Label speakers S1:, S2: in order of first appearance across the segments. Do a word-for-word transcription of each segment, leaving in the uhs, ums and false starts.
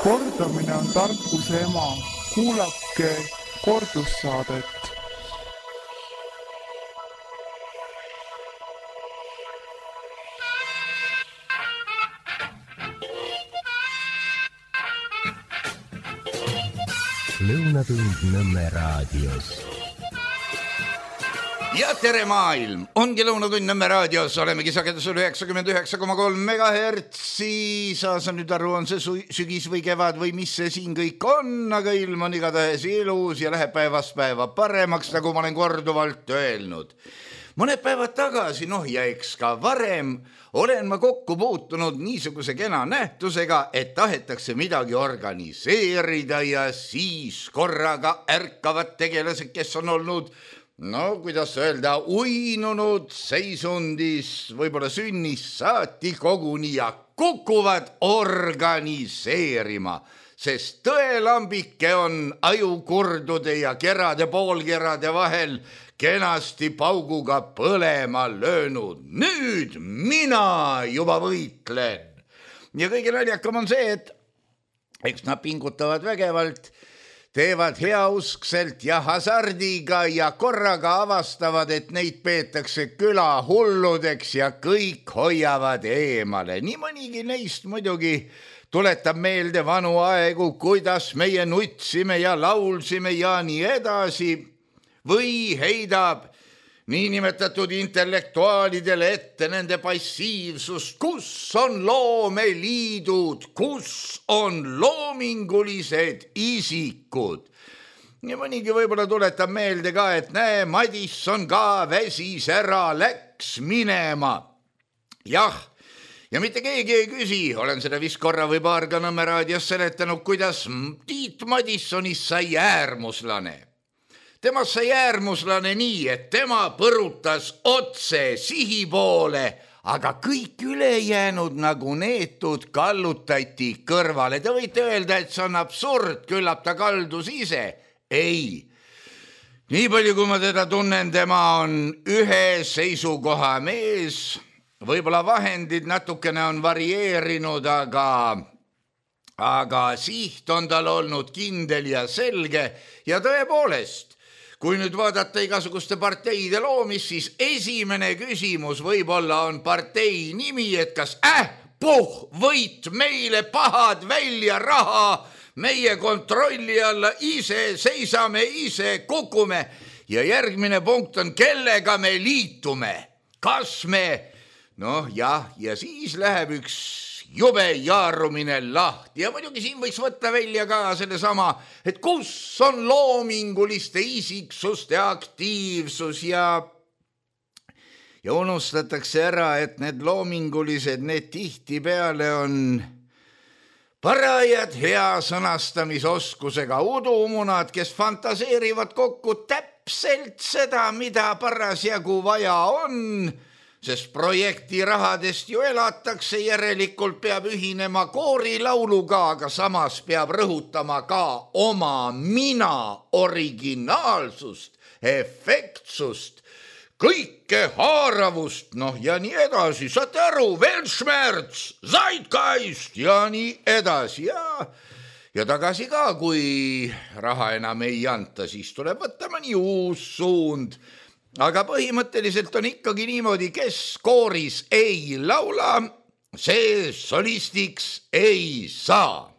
S1: Kordamine on tarkuse ema. Kuulake kordussaadet.
S2: Lõunatund Nõmme raadios.
S3: Ja tere maailm, ongi Lõunatund Nõmme raadios, olemegi sagedusel üheksakümmend üheksa koma kolm megahertsi, saa sa nüüd aru, on see sügis või kevad või mis see siin kõik on, aga ilm on igatahes ilus ja läheb päevast päeva paremaks, nagu ma olen korduvalt öelnud. Mõned päevad tagasi, noh ja eks ka varem, olen ma kokku puutunud niisuguse kena nähtusega, et tahetakse midagi organiseerida ja siis korraga ärkavad tegelased, kes on olnud no, kuidas öelda, uinunud seisundis, võib-olla sünnist saati koguni ja kukuvad organiseerima, sest tõelambike on ajukurdude ja kerade poolkerade vahel kenasti pauguga põlema löönud. Nüüd mina juba võitlen. Ja kõige naljakam on see, et eks nad pingutavad vägevalt, teevad heauskselt ja hasardiga ja korraga avastavad, et neid peetakse küla hulludeks ja kõik hoiavad eemale. Nii mõnigi neist muidugi tuletab meelde vanu aegu, kuidas meie nutsime ja laulsime ja nii edasi, või heidab niinimetatud intellektuaalidele ette nende passiivsust, kus on loomeliidud, kus on loomingulised isikud. Ja mõnigi võib-olla tuletab meelde ka, et näe, Madisson ka väsis ära, läks minema. Jah, ja mitte keegi ei küsi, olen seda vist korra või paar ka Nõmme raadios seletanud, kuidas Tiit Madissonist sai äärmuslane. Temast sai äärmuslane nii, et tema põrutas otse sihi poole, aga kõik ülejäänud nagu neetud kallutati kõrvale. Te võite öelda, et see on absurd, küllap ta kaldus ise. Ei. Nii palju, kui ma teda tunnen, tema on ühe seisukoha mees. Võib-olla vahendid natukene on varieerinud, aga, aga siht on tal olnud kindel ja selge ja tõepoolest, kui nüüd vaadata igasuguste parteide loomist, siis esimene küsimus võib-olla on partei nimi, et kas äh, puh, võit meile pahad välja raha, meie kontrolli alla ise seisame, ise kukume. Ja järgmine punkt on, kellega me liitume. Kas me, noh jah, ja siis läheb üks jube jaarumine lahti ja muidugi siin võiks võtta välja ka selle sama, et kus on loominguliste isiksuste aktiivsus ja ja unustatakse ära, et need loomingulised, need tihtipeale on parajad hea sõnastamisoskusega udumunad, kes fantaseerivad kokku täpselt seda, mida parasjagu vaja on, sest projekti rahadest ju elatakse, järelikult peab ühinema koorilauluga, aga samas peab rõhutama ka oma mina originaalsust, efektsust, kõike haaravust, noh ja nii edasi, saate aru, Weltschmerz, Zeitgeist ja nii edasi ja, ja tagasi ka, kui raha enam ei anta, siis tuleb võtta mõni uus suund. Aga põhimõtteliselt on ikkagi niimoodi, kes kooris ei laula, see solistiks ei saa.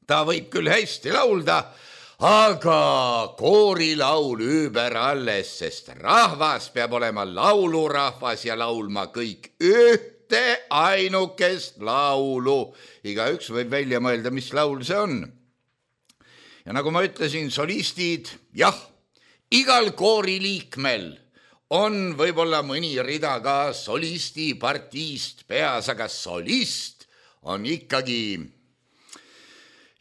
S3: Ta võib küll hästi laulda, aga koorilaul üüber alles, sest rahvas peab olema laulurahvas ja laulma kõik ühte ainukest laulu. Igaüks võib välja mõelda, mis laul see on. Ja nagu ma ütlesin, solistid, jah, igal kooriliikmel on võib-olla mõni rida ka solisti partiist peas, aga solist on ikkagi,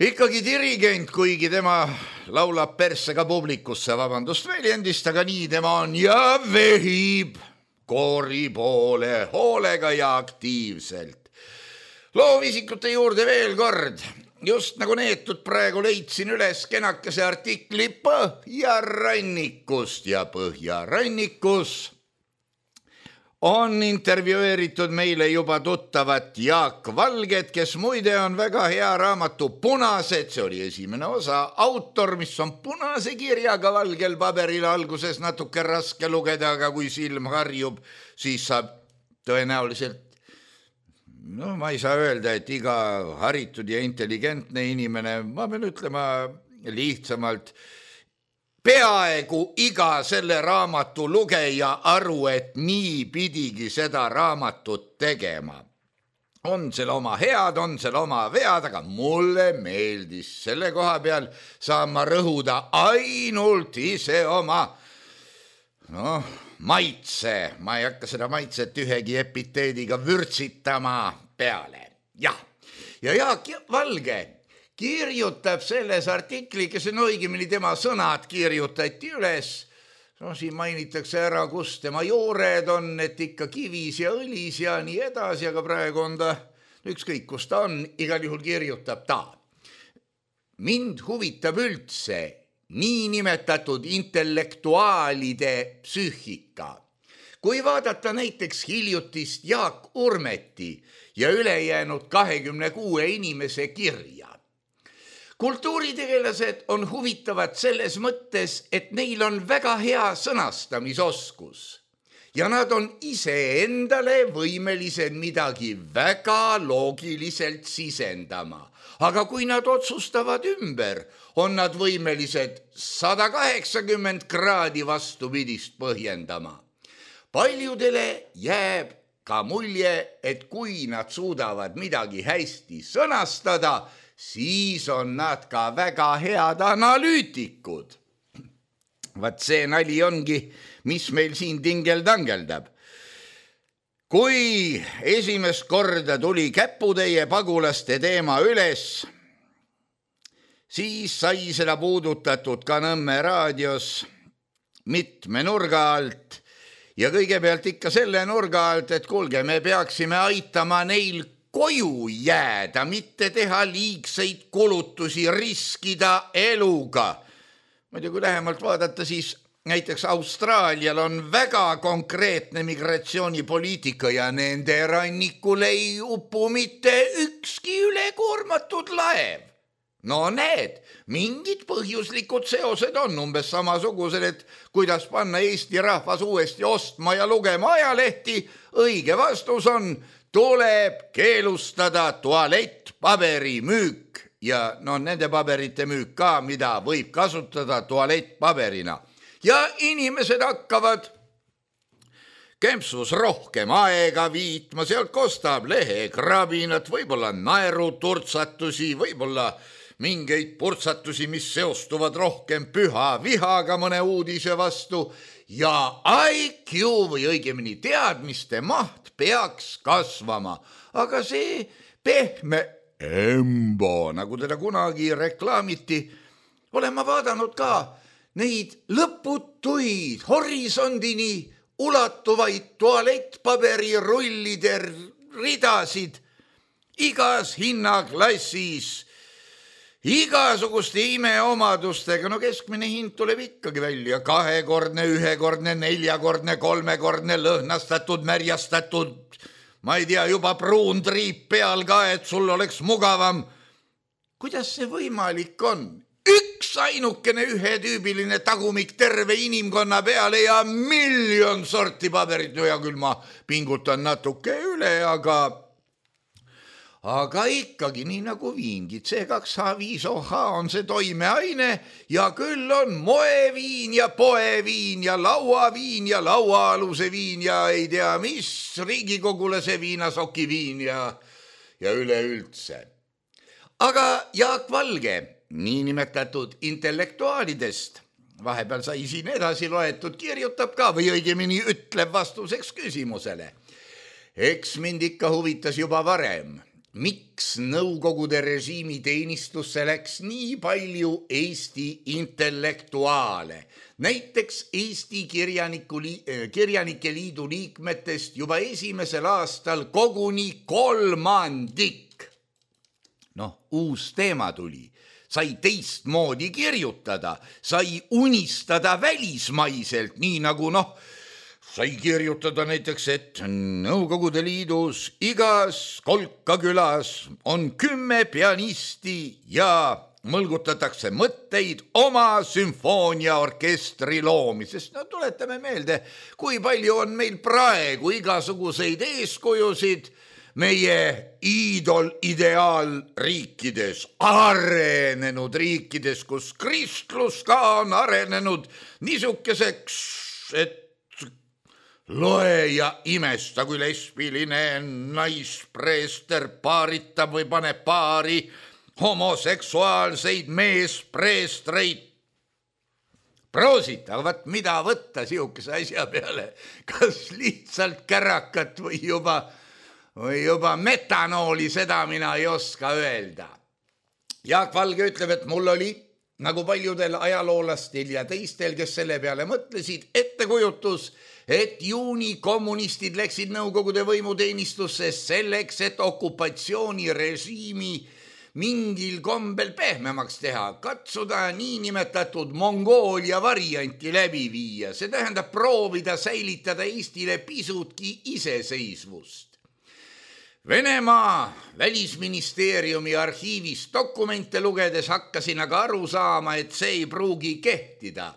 S3: ikkagi dirigent, kuigi tema laulab persega publikusse, vabandust väljendist, aga nii tema on ja vehib koori poole hoolega ja aktiivselt. Loovisikute juurde veel kord. Just nagu neetud praegu leidsin üles kenakese artikli Põhjarannikust ja Põhjarannikus on intervjueeritud meile juba tuttavat Jaak Valget, kes muide on väga hea raamatu Punased, see oli esimene osa, autor, mis on punase kirjaga valgel paberil, alguses natuke raske lugeda, aga kui silm harjub, siis saab tõenäoliselt, no ma ei saa öelda, et iga haritud ja intelligentne inimene, ma pean ütlema lihtsamalt, peaaegu iga selle raamatu lugeja aru, et nii pidigi seda raamatut tegema. On seal oma head, on seal oma vead, aga mulle meeldis. Selle koha peal saan ma rõhuda ainult ise oma no, maitse. Ma ei hakka seda maitset ühegi epiteediga vürtsitama peale. Ja, ja Jaak Valge kirjutab selles artikli, kes on õigemini tema sõnad kirjutati üles. No, siin mainitakse ära, kus tema joored on, et ikka kivis ja õlis ja nii edasi, aga praegu on ta ükskõik, kus ta on, igal juhul kirjutab ta. Mind huvitab üldse niinimetatud intellektuaalide psüühika. Kui vaadata näiteks hiljutist Jaak Urmeti ja ülejäänud kahekümne kuue inimese kirja, kultuuritegelased on huvitavad selles mõttes, et neil on väga hea sõnastamisoskus ja nad on ise endale võimelised midagi väga loogiliselt sisendama. Aga kui nad otsustavad ümber, on nad võimelised sada kaheksakümmend kraadi vastupidist põhjendama. Paljudele jääb ka mulje, et kui nad suudavad midagi hästi sõnastada, siis on nad ka väga head analüütikud. Vaat see nali ongi, mis meil siin tingeldangeldab. Kui esimest korda tuli Käputäie pagulaste teema üles, siis sai seda puudutatud ka Nõmme raadios mitme nurga alt ja kõigepealt ikka selle nurga alt, et kuulge, me peaksime aitama neil koju jääda, mitte teha liigseid kulutusi, riskida eluga. Muidu kui lähemalt vaadata, siis näiteks Austraalial on väga konkreetne migratsioonipoliitika ja nende rannikul ei upu mitte ükski ülekoormatud laev. No need, mingid põhjuslikud seosed on umbes samasugused, et kuidas panna Eesti rahvas uuesti ostma ja lugema ajalehti, õige vastus on, tuleb keelustada tualettpaberi müük ja no nende paberite müük ka, mida võib kasutada tualettpaberina. Ja inimesed hakkavad kempsus rohkem aega viitma, sealt kostab lehekrabinat, võib-olla naeruturtsatusi, võib-olla mingeid purtsatusi, mis seostuvad rohkem püha vihaga mõne uudise vastu ja I Q või õigemini teadmiste maht peaks kasvama, aga see pehme embo, nagu teda kunagi reklaamiti, olen ma vaadanud ka neid lõputuid horisondini ulatuvaid tualettpaberi rullide ridasid igas hinnaklassis, igasuguste imeomadustega, no keskmine hind tuleb ikkagi välja, kahekordne, ühekordne, neljakordne, kolmekordne, lõhnastatud, märjastatud, ma ei tea, juba pruun triip peal ka, et sul oleks mugavam. Kuidas see võimalik on? Üks ainukene ühetüübiline tagumik terve inimkonna peale ja miljon sorti paberit, no ja küll ma pingutan natuke üle, aga Aga ikkagi nii nagu viingid, see kaks H viis O H on see toimeaine ja küll on moeviin ja poeviin ja lauaviin ja lauaaluse viin ja ei tea mis, riigikogulase viinasokiviin ja, ja üleüldse. Aga Jaak Valge, niinimetatud intellektuaalidest, vahepeal sai siin edasi loetud, kirjutab ka või õigemini ütleb vastuseks küsimusele. Eks mind ikka huvitas juba varem, miks Nõukogude režiimi teenistusse läks nii palju Eesti intellektuaale. Näiteks Eesti Kirjanike Liidu liikmetest juba esimesel aastal koguni kolmandik. Noh, uus teema tuli. Sai teistmoodi kirjutada, sai unistada välismaiselt, nii nagu noh, sai kirjutada näiteks, et Nõukogude Liidus igas kolkakülas on kümme pianisti ja mõlgutatakse mõtteid oma sümfooniaorkestri loomisest. No tuletame meelde, kui palju on meil praegu igasuguseid eeskujusid meie iidol ideaalriikides, arenenud riikides, kus kristlus ka on arenenud niisuguseks, et loe ja imesta, kui lesbiline naispreester paaritab või paneb paari homoseksuaalseid meespreestreid. Proosit, aga vaat mida võtta siukese asja peale, kas lihtsalt kärakat või juba, või juba metanooli, seda mina ei oska öelda. Jaak Valge ütleb, et mul oli, nagu paljudel ajaloolastel ja teistel, kes selle peale mõtlesid, ettekujutus, et juuni kommunistid läksid Nõukogude võimuteenistusse selleks, et okupatsioonirežiimi mingil kombel pehmemaks teha, katsuda niinimetatud Mongoolia varianti läbi viia. See tähendab proovida säilitada Eestile pisutki iseseisvust. Venemaa välisministeeriumi arhiivis dokumente lugedes hakkasin aga aru saama, et see ei pruugi kehtida.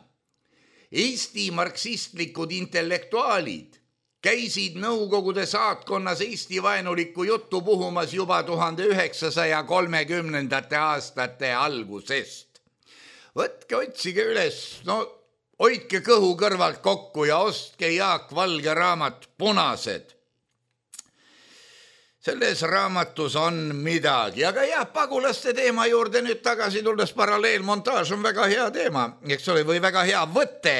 S3: Eesti marksistlikud intellektuaalid käisid Nõukogude saatkonnas Eesti vaenulikku juttu puhumas juba tuhande üheksasaja kolmekümnendate aastate algusest. Võtke, otsige üles, no hoidke kõhu kõrvalt kokku ja ostke Jaak Valge raamat Punased. Selles raamatus on midagi, aga jah, pagulaste teema juurde nüüd tagasi tulles, paralleelmontaaž on väga hea teema, eks ole, või väga hea võte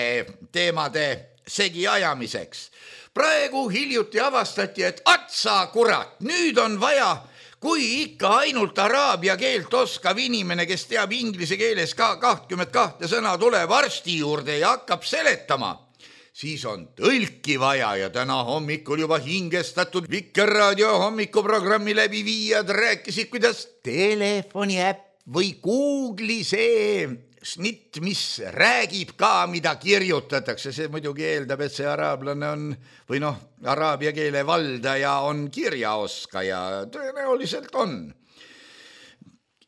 S3: teemade segi ajamiseks. Praegu hiljuti avastati, et atsa kurat, nüüd on vaja, kui ikka ainult araabia keelt oskav inimene, kes teab inglise keeles ka kakskümmend kahte sõna, tuleb arsti juurde ja hakkab seletama, siis on tõlki vaja ja täna hommikul juba hingestatud Vikerraadio hommikuprogrammi läbi viijad rääkisid, kuidas telefoni äpp või Google'i see snitt, mis räägib ka, mida kirjutatakse. See muidugi eeldab, et see araablane on, või noh, araabia keele valdaja on kirjaoskaja, tõenäoliselt on.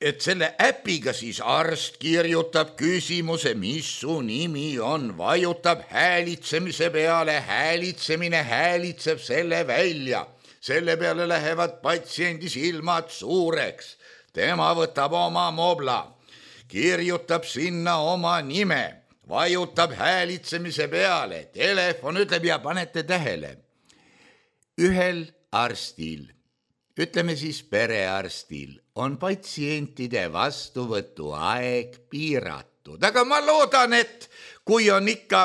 S3: Et selle äpiga siis arst kirjutab küsimuse, mis su nimi on, vajutab häälitsemise peale, häälitsemine häälitseb selle välja. Selle peale lähevad patsiendi silmad suureks. Tema võtab oma mobla, kirjutab sinna oma nime, vajutab häälitsemise peale, telefon ütleb ja panete tähele. Ühel arstil, ütleme siis perearstil, on patsientide vastuvõtu aeg piiratud. Aga ma loodan, et kui on ikka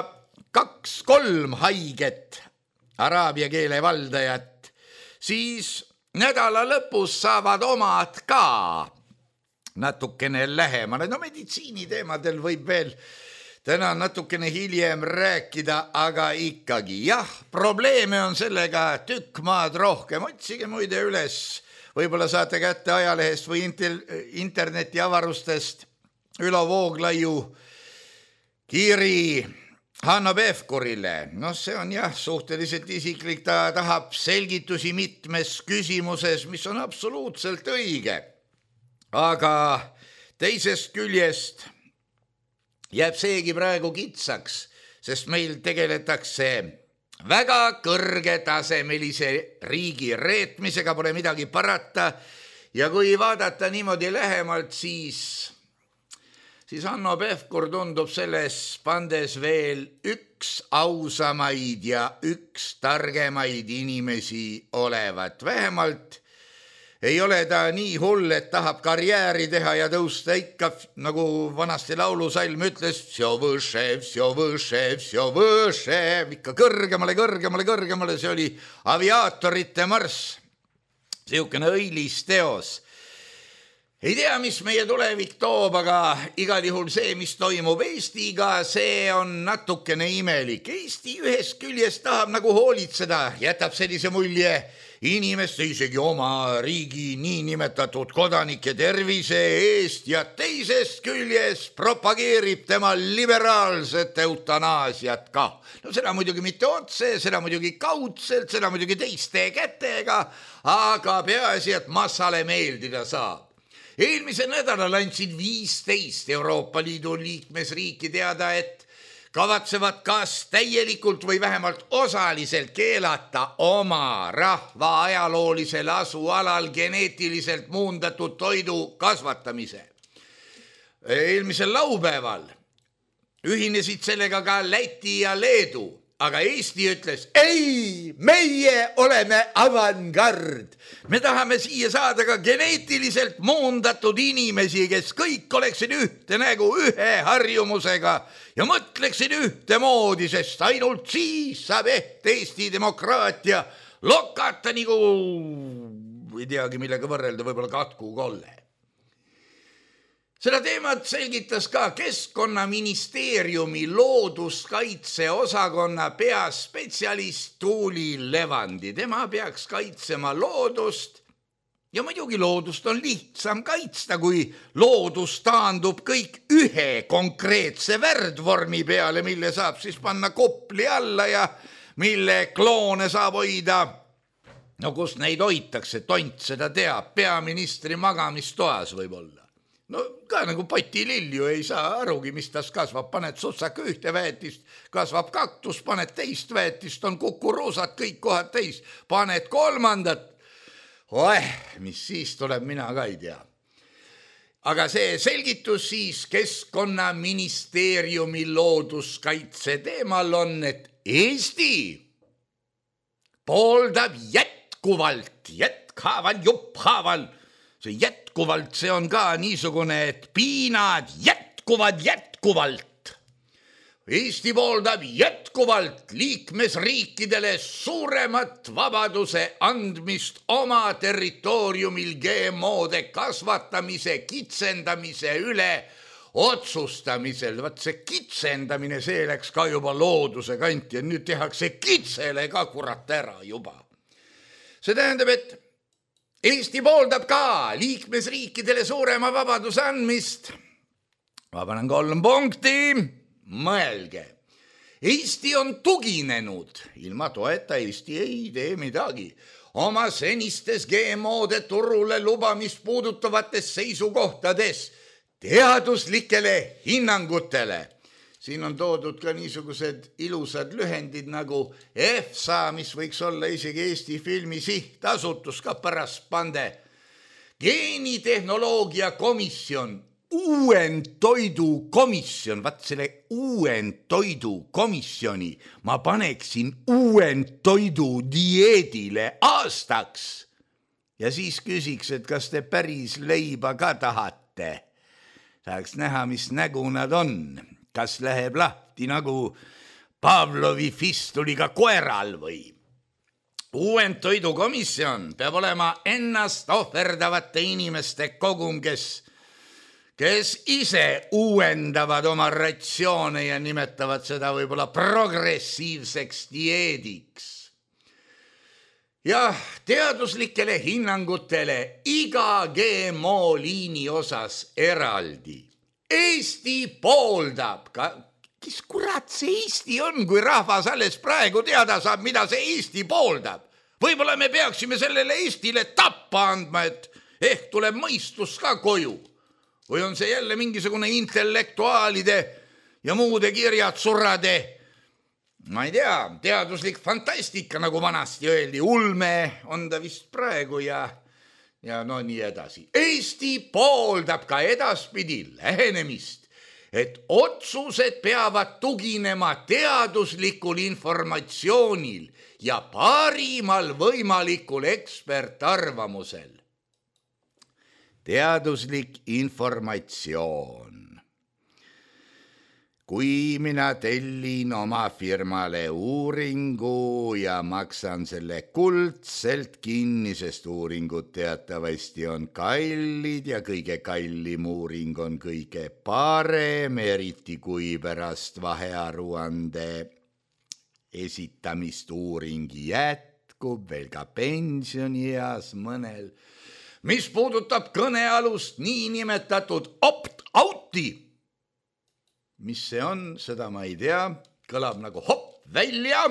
S3: kaks-kolm haiget araabia keele valdajat, siis nädala lõpus saavad omad ka natukene lähemale. No meditsiiniteemadel võib veel täna natukene hiljem rääkida, aga ikkagi jah, probleeme on sellega tükk maad rohkem. Otsige muide üles, võib-olla saate kätte ajalehest või interneti avarustest Ülo Vooglaiu kiri Hanno Pevkurile. No see on jah suhteliselt isiklik, ta tahab selgitusi mitmes küsimuses, mis on absoluutselt õige. Aga teisest küljest jääb seegi praegu kitsaks, sest meil tegeletakse väga kõrgetasemelise riigi reetmisega, pole midagi parata. Ja kui vaadata niimoodi lähemalt, siis, siis Hanno Pevkur tundub selles pandes veel üks ausamaid ja üks targemaid inimesi olevat. Vähemalt ei ole ta nii hull, et tahab karjääri teha ja tõusta ikka, nagu vanasti laulusalm ütles, vsjo võše, vsjo võše, vsjo võše, ikka kõrgemale, kõrgemale, kõrgemale. See oli aviaatorite marss, siukene õilis teos. Ei tea, mis meie tulevik toob, aga igal juhul see, mis toimub Eestiga, see on natukene imelik. Eesti ühest küljest tahab nagu hoolitseda, jätab sellise mulje inimeste, isegi oma riigi niinimetatud kodanike tervise eest ja teisest küljest propageerib tema liberaalset eutanaasiat ka. No seda muidugi mitte otse, seda muidugi kaudselt, seda muidugi teiste kätega, aga peaasi, et massale meeldida saab. Eelmise nädalal andsid viisteist Euroopa Liidu liikmesriiki teada, et kavatsevad kas täielikult või vähemalt osaliselt keelata oma rahva ajaloolisel asualal geneetiliselt muundatud toidu kasvatamise. Eelmisel laupäeval ühinesid sellega ka Läti ja Leedu, aga Eesti ütles, ei, meie oleme avangard. Me tahame siia saada ka geneetiliselt muundatud inimesi, kes kõik oleksid ühte nägu ühe harjumusega ja mõtleksid ühte moodi, sest ainult siis saab eht Eesti demokraatia lokata nagu, ei teagi millega võrrelda, võib-olla katku kolle. Seda teemat selgitas ka Keskkonnaministeeriumi looduskaitse osakonna peaspetsialist Tuuli Levandi. Tema peaks kaitsema loodust ja muidugi loodust on lihtsam kaitsta, kui loodus taandub kõik ühe konkreetse värdvormi peale, mille saab siis panna kopli alla ja mille kloone saab hoida. No kus neid hoitakse, tont seda teab, peaministri magamistoas võib olla. No ka nagu potililju ei saa arugi, mis tas kasvab, paned sutsaka ühte väetist, kasvab kaktus, paned teist väetist, on kukuruusad kõik kohad teis, paned kolmandat. Oeh, mis siis tuleb, mina ka ei tea. Aga see selgitus siis Keskkonnaministeeriumi looduskaitse teemal on, et Eesti pooldab jätkuvalt, jätkhaaval, jupphaaval, see jätkuvalt, see on ka niisugune, et piinad jätkuvad jätkuvalt. Eesti pooldab jätkuvalt liikmesriikidele suuremat vabaduse andmist oma territooriumil G M O-de kasvatamise, kitsendamise üle otsustamisel. Vaat see kitsendamine, see läks ka juba looduse kanti ja nüüd tehakse kitsele ka kurat ära juba. See tähendab, et Eesti pooldab ka liikmesriikidele suurema vabaduse andmist. Ma panen kolm punkti, mõelge. Eesti on tuginenud, ilma toeta Eesti ei tee midagi, oma senistes G M O-de turule lubamist puudutavates seisukohtades teaduslikele hinnangutele. Siin on toodud ka niisugused ilusad lühendid nagu F S A, mis võiks olla isegi Eesti filmi sihtasutus ka pärast pande. Geenitehnoloogia komisjon, uuendtoidu komisjon, vaat selle uuendtoidu komisjoni ma paneksin uuendtoidu dieedile aastaks. Ja siis küsiks, et kas te päris leiba ka tahate. Tahaks näha, mis nägu nad on. Kas läheb lahti nagu Pavlovi fistuliga koeral või? Uuendtoidukomisjon peab olema ennast ohverdavate inimeste kogum, kes, kes ise uuendavad oma ratsioone ja nimetavad seda võib-olla progressiivseks dieediks. Ja teaduslikele hinnangutele iga G M O liini osas eraldi. Eesti pooldab, ka, kes kurat see Eesti on, kui rahvas alles praegu teada saab, mida see Eesti pooldab. Võib-olla me peaksime sellele Eestile tappa andma, et ehk tuleb mõistus ka koju. Või on see jälle mingisugune intellektuaalide ja muude kirjatsurade, ma ei tea, teaduslik fantastika, nagu vanasti öeldi, ulme on ta vist praegu ja... Ja no nii edasi. Eesti pooldab ka edaspidi lähenemist, et otsused peavad tuginema teaduslikul informatsioonil ja parimal võimalikul ekspertarvamusel. Teaduslik informatsioon. kui mina tellin oma firmale uuringu ja maksan selle kuldselt kinni, sest uuringud teatavasti on kallid ja kõige kallim uuring on kõige parem, eriti kui pärast vahearuande esitamist uuring jätkub veel ka pensionieas mõnel. Mis puudutab kõnealust niinimetatud opt-out'i, mis see on, seda ma ei tea, kõlab nagu hopp välja,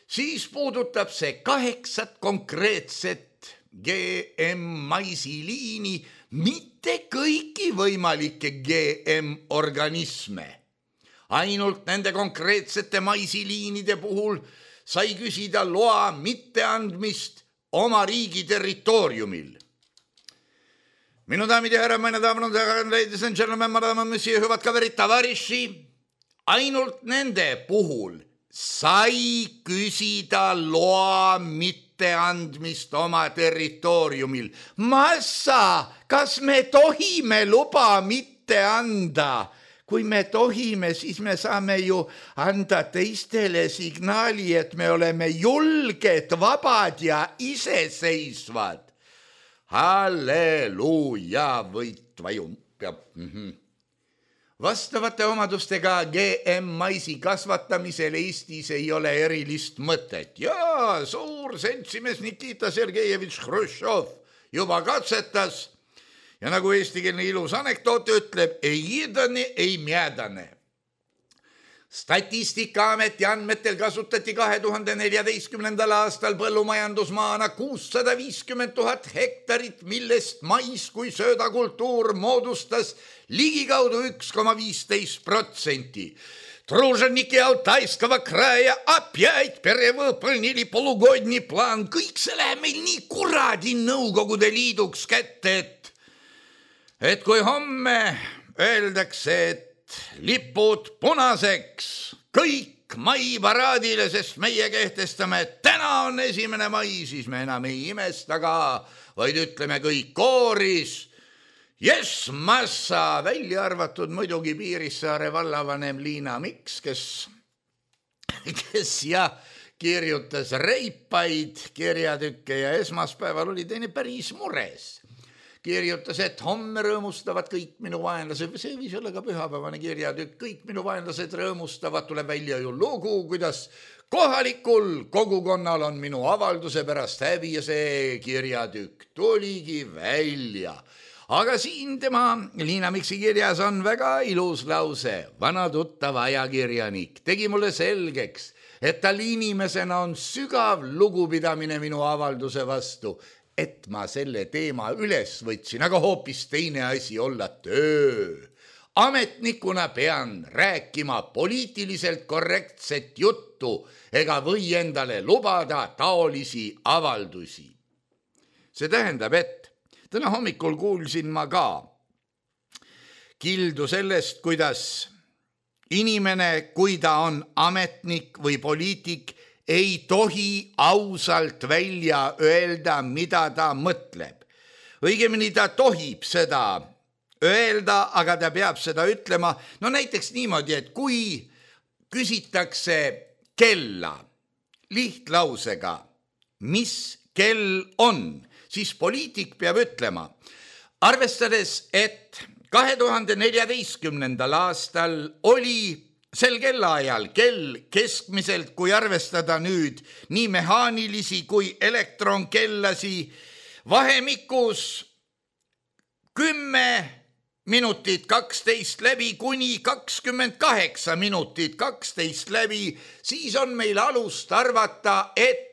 S3: siis puudutab see kaheksat konkreetset G M maisiliini, mitte kõiki võimalikke G M organisme. Ainult nende konkreetsete maisiliinide puhul sai küsida loa mitteandmist oma riigi territooriumil. Minu daamid ja härra, meine daamid ja härrad, ladies and gentlemen, madame, monsieur, hüvad kaverid, tavariši, ainult nende puhul sai küsida loa mitteandmist oma territooriumil. Massa, kas me tohime luba mitte anda? Kui me tohime, siis me saame ju anda teistele signaali, et me oleme julged, vabad ja iseseisvad. Halleluuja, võit vajum peab. Mm-hmm. Vastavate omadustega G M maisi kasvatamisel Eestis ei ole erilist mõtet. Ja suur seltsimees Nikita Sergejevitš Hruštšov juba katsetas ja nagu eestikeelne ilus anekdoot ütleb, ei jidane, ei mjädane. Statistikaameti andmetel kasutati kahe tuhande neljateistkümnendal aastal põllumajandusmaana kuussada viiskümmend tuhat hektarit, millest mais kui söödakultuur moodustas ligikaudu üks koma viisteist protsenti. Труженики Алтайского края опять перевыполнили полугодний план. Kõik see läheb meil nii kuradi Nõukogude Liiduks kätte, et, et kui homme öeldakse, et lipud punaseks, kõik mai paraadile, sest meie kehtestame, et täna on esimene mai, siis me enam ei imesta ka, vaid ütleme kõik kooris. Yes, massa, välja arvatud muidugi Piirissaare vallavanem Liina Miks, kes, kes ja kirjutas reipaid kirjatükke ja esmaspäeval oli teine päris mures. Kirjutas, et homme rõõmustavad kõik minu vaenlased, see võis olla ka pühapäevane kirjatükk, kõik minu vaenlased rõõmustavad, tuleb välja ju lugu, kuidas kohalikul kogukonnal on minu avalduse pärast häbi ja see kirjatükk tuligi välja. Aga siin tema Liina Miksi kirjas on väga ilus lause. Vana tuttav ajakirjanik tegi mulle selgeks, et tal inimesena on sügav lugupidamine minu avalduse vastu, et ma selle teema üles võtsin, aga hoopis teine asi olla töö. Ametnikuna pean rääkima poliitiliselt korrektset juttu ega või endale lubada taolisi avaldusi. See tähendab, et täna hommikul kuulsin ma ka kildu sellest, kuidas inimene, kui ta on ametnik või poliitik, ei tohi ausalt välja öelda, mida ta mõtleb. Õigemini ta tohib seda öelda, aga ta peab seda ütlema. No näiteks niimoodi, et kui küsitakse kella lihtlausega, mis kell on, siis poliitik peab ütlema, arvestades, et kahe tuhande neljateistkümnendal aastal oli sel kellaajal kell keskmiselt, kui arvestada nüüd nii mehaanilisi kui elektronkellasi, vahemikus kümme minutit kaksteist läbi kuni kakskümmend kaheksa minutit kaksteist läbi, siis on meil alust arvata, et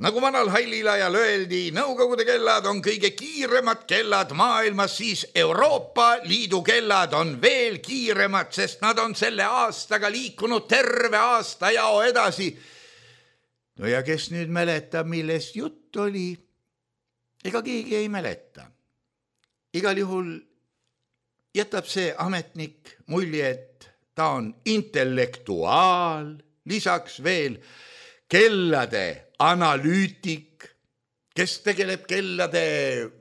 S3: nagu vanal hallil ajal öeldi, Nõukogude kellad on kõige kiiremad kellad maailmas, siis Euroopa Liidu kellad on veel kiiremad, sest nad on selle aastaga liikunud terve aasta jao edasi. No ja kes nüüd mäletab, millest jutt oli? Ega keegi ei mäleta. Igal juhul jätab see ametnik mulje, et ta on intellektuaal, lisaks veel kellade analüütik, kes tegeleb kellade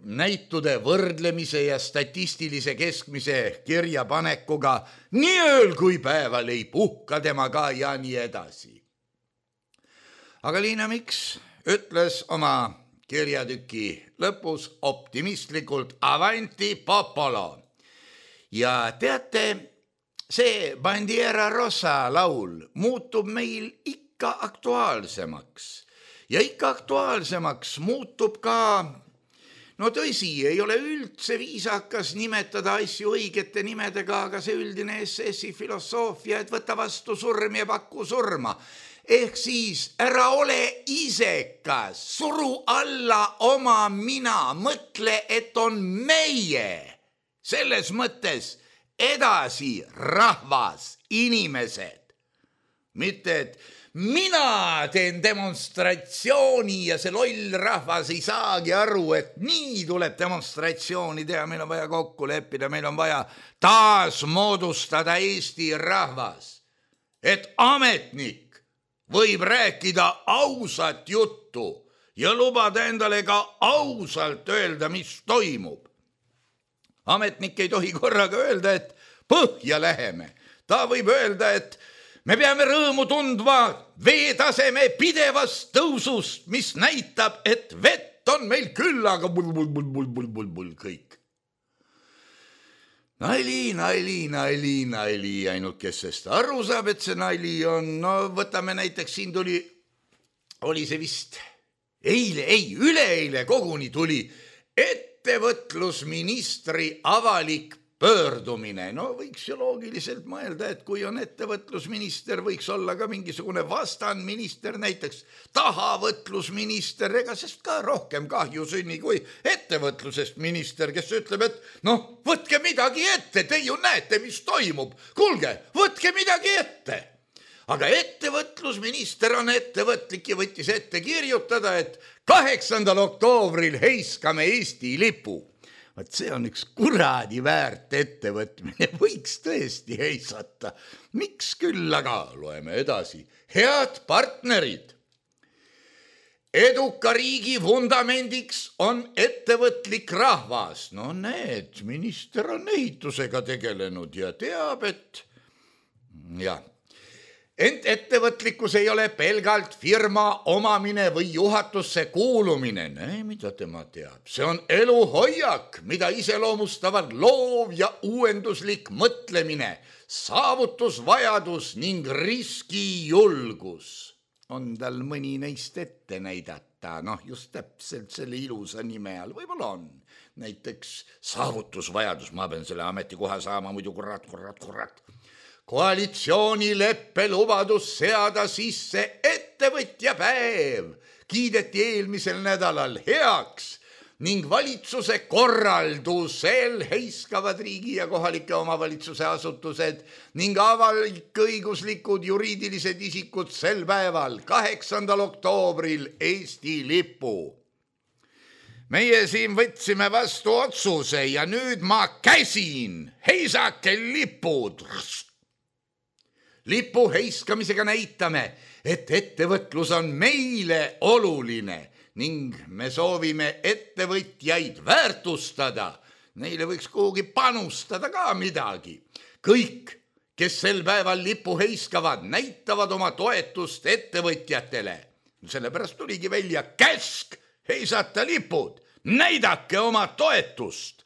S3: näitude võrdlemise ja statistilise keskmise kirjapanekuga, nii ööl kui päeval ei puhka temaga ja nii edasi. Aga Liina Miks ütles oma kirjatüki lõpus optimistlikult avanti popolo. Ja teate, see Bandiera Rosa laul muutub meil ikka aktuaalsemaks. Ja ikka aktuaalsemaks muutub ka, no tõsi, ei ole üldse viisakas nimetada asju õigete nimedega, aga see üldine S S-i filosoofia, et võta vastu surm ja paku surma. Ehk siis ära ole isekas, suru alla oma mina, mõtle, et on meie. Selles mõttes edasi rahvas, inimesed. Mitte, et mina teen demonstratsiooni ja see loll rahvas ei saagi aru, et nii tuleb demonstratsiooni teha, meil on vaja kokku leppida, meil on vaja taas moodustada Eesti rahvas. Et ametnik võib rääkida ausat juttu ja lubada endale ka ausalt öelda, mis toimub. Ametnik ei tohi korraga öelda, et põhja läheme. Ta võib öelda, et me peame rõõmu tundva veetaseme pidevast tõusust, mis näitab, et vett on meil küll, aga bul, bul, bul, bul, bul, bul, bul, kõik. Nali, nali, nali, nali, ainult kes sest aru saab, et see nali on, no võtame näiteks, siin tuli, oli see vist eile, ei, üleeile koguni tuli, et ettevõtlusministri avalik pöördumine. No võiks ju loogiliselt mõelda, et kui on ettevõtlusminister, võiks olla ka mingisugune vastanminister, näiteks tahavõtlusminister, ega sest ka rohkem kahju sünni kui ettevõtlusest minister, kes ütleb, et noh, võtke midagi ette, te ju näete, mis toimub. Kuulge, võtke midagi ette. Aga ettevõtlusminister on ettevõtlik ja võttis ette kirjutada, et kaheksandal oktoobril heiskame Eesti lipu. Vaat see on üks kuradi väärt ettevõtmine, võiks tõesti heisata. Miks küll, aga loeme edasi. Head partnerid. Eduka riigi vundamendiks on ettevõtlik rahvas. No need, minister on ehitusega tegelenud ja teab, et jah. Ent ettevõtlikkus ei ole pelgalt firma omamine või juhatusse kuulumine. Näe, mida tema teab. See on eluhoiak, mida iseloomustavad loov ja uuenduslik mõtlemine, saavutusvajadus ning riskijulgus. On tal mõni neist ette näidata, noh just täpselt selle ilusa nime all, võib-olla on. Näiteks saavutusvajadus, ma pean selle ametikoha saama, muidu kurat, kurat, kurat. Koalitsioonileppe lubadus seada sisse ettevõtja päev kiideti eelmisel nädalal heaks ning valitsuse korraldusel heiskavad riigi ja kohalike omavalitsuse asutused ning avalik-õiguslikud juriidilised isikud sel päeval, kaheksandal oktoobril Eesti lipu. Meie siin võtsime vastu otsuse ja nüüd ma käsin, heisake lipud. Lipu heiskamisega näitame, et ettevõtlus on meile oluline ning me soovime ettevõtjaid väärtustada. Neile võiks kuhugi panustada ka midagi. Kõik, kes sel päeval lipu heiskavad, näitavad oma toetust ettevõtjatele. Sellepärast tuligi välja käsk heisata lipud. Näidake oma toetust.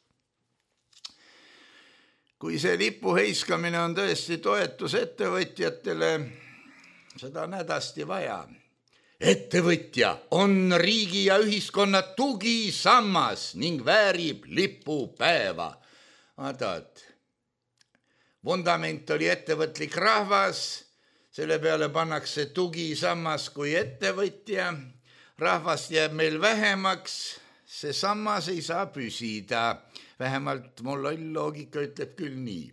S3: Kui see lipu heiskamine on tõesti toetus ettevõtjatele, seda on hädasti vaja. Ettevõtja on riigi ja ühiskonna tugisammas ning väärib lipupäeva. Vaatad, vundament oli ettevõtlik rahvas, selle peale pannakse tugisammas kui ettevõtja, rahvast jääb meil vähemaks, see sammas ei saa püsida. Vähemalt mul loogika ütleb küll nii.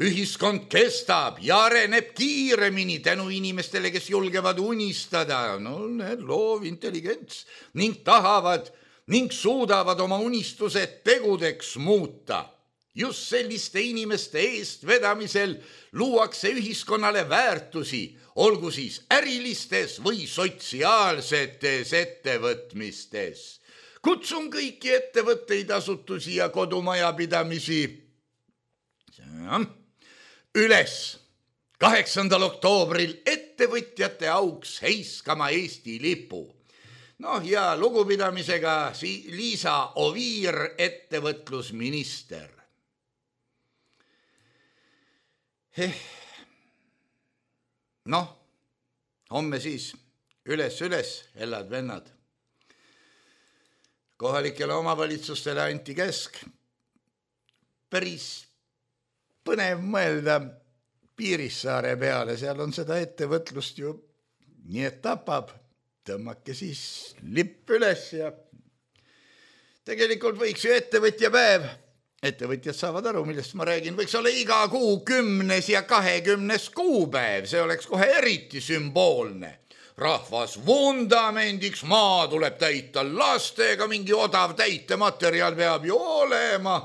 S3: Ühiskond kestab ja areneb kiiremini tänu inimestele, kes julgevad unistada, no need loov intelligents, ning tahavad ning suudavad oma unistused tegudeks muuta. Just selliste inimeste eest vedamisel luuakse ühiskonnale väärtusi, olgu siis ärilistes või sotsiaalsetes ettevõtmistes. kutsun kõiki ettevõtteid, asutusi ja kodumajapidamisi üles kaheksandal oktoobril ettevõtjate auks heiskama Eesti lipu. Noh ja lugupidamisega Liisa Oviir, ettevõtlusminister. Eh. Noh, homme siis üles, üles, hellad vennad. Kohalikele omavalitsustele anti käsk. Päris põnev mõelda Piirissaare peale, seal on seda ettevõtlust ju nii et tapab. Tõmmake siis lipp üles ja tegelikult võiks ju ettevõtja päev. Ettevõtjad saavad aru, millest ma räägin. Võiks olla iga kuu kümnes ja kahekümnes kuupäev. See oleks kohe eriti sümboolne. Rahvas vundamendiks, maa tuleb täita lastega, mingi odav täitematerjal peab ju olema.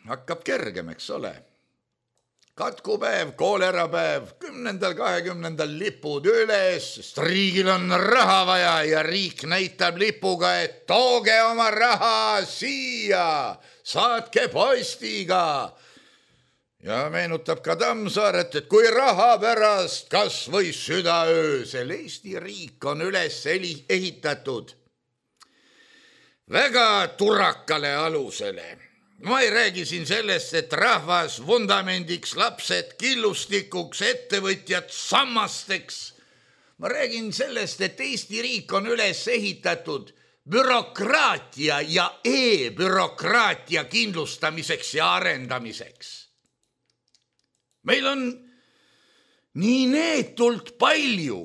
S3: Hakkab kergem, eks ole. Katkupäev, koolerapäev, kümnendal, kahekümnendal lipud üles, sest riigil on raha vaja ja riik näitab lipuga, et tooge oma raha siia, saatke postiga. Ja meenutab ka Tammsaaret, et kui raha pärast kas või südaöösel Eesti riik on üles ehitatud väga turakale alusele. Ma ei räägi siin sellest, et rahvas vundamendiks, lapsed killustikuks, ettevõtjad sammasteks. Ma räägin sellest, et Eesti riik on üles ehitatud bürokraatia ja e-bürokraatia kindlustamiseks ja arendamiseks. Meil on nii neetult palju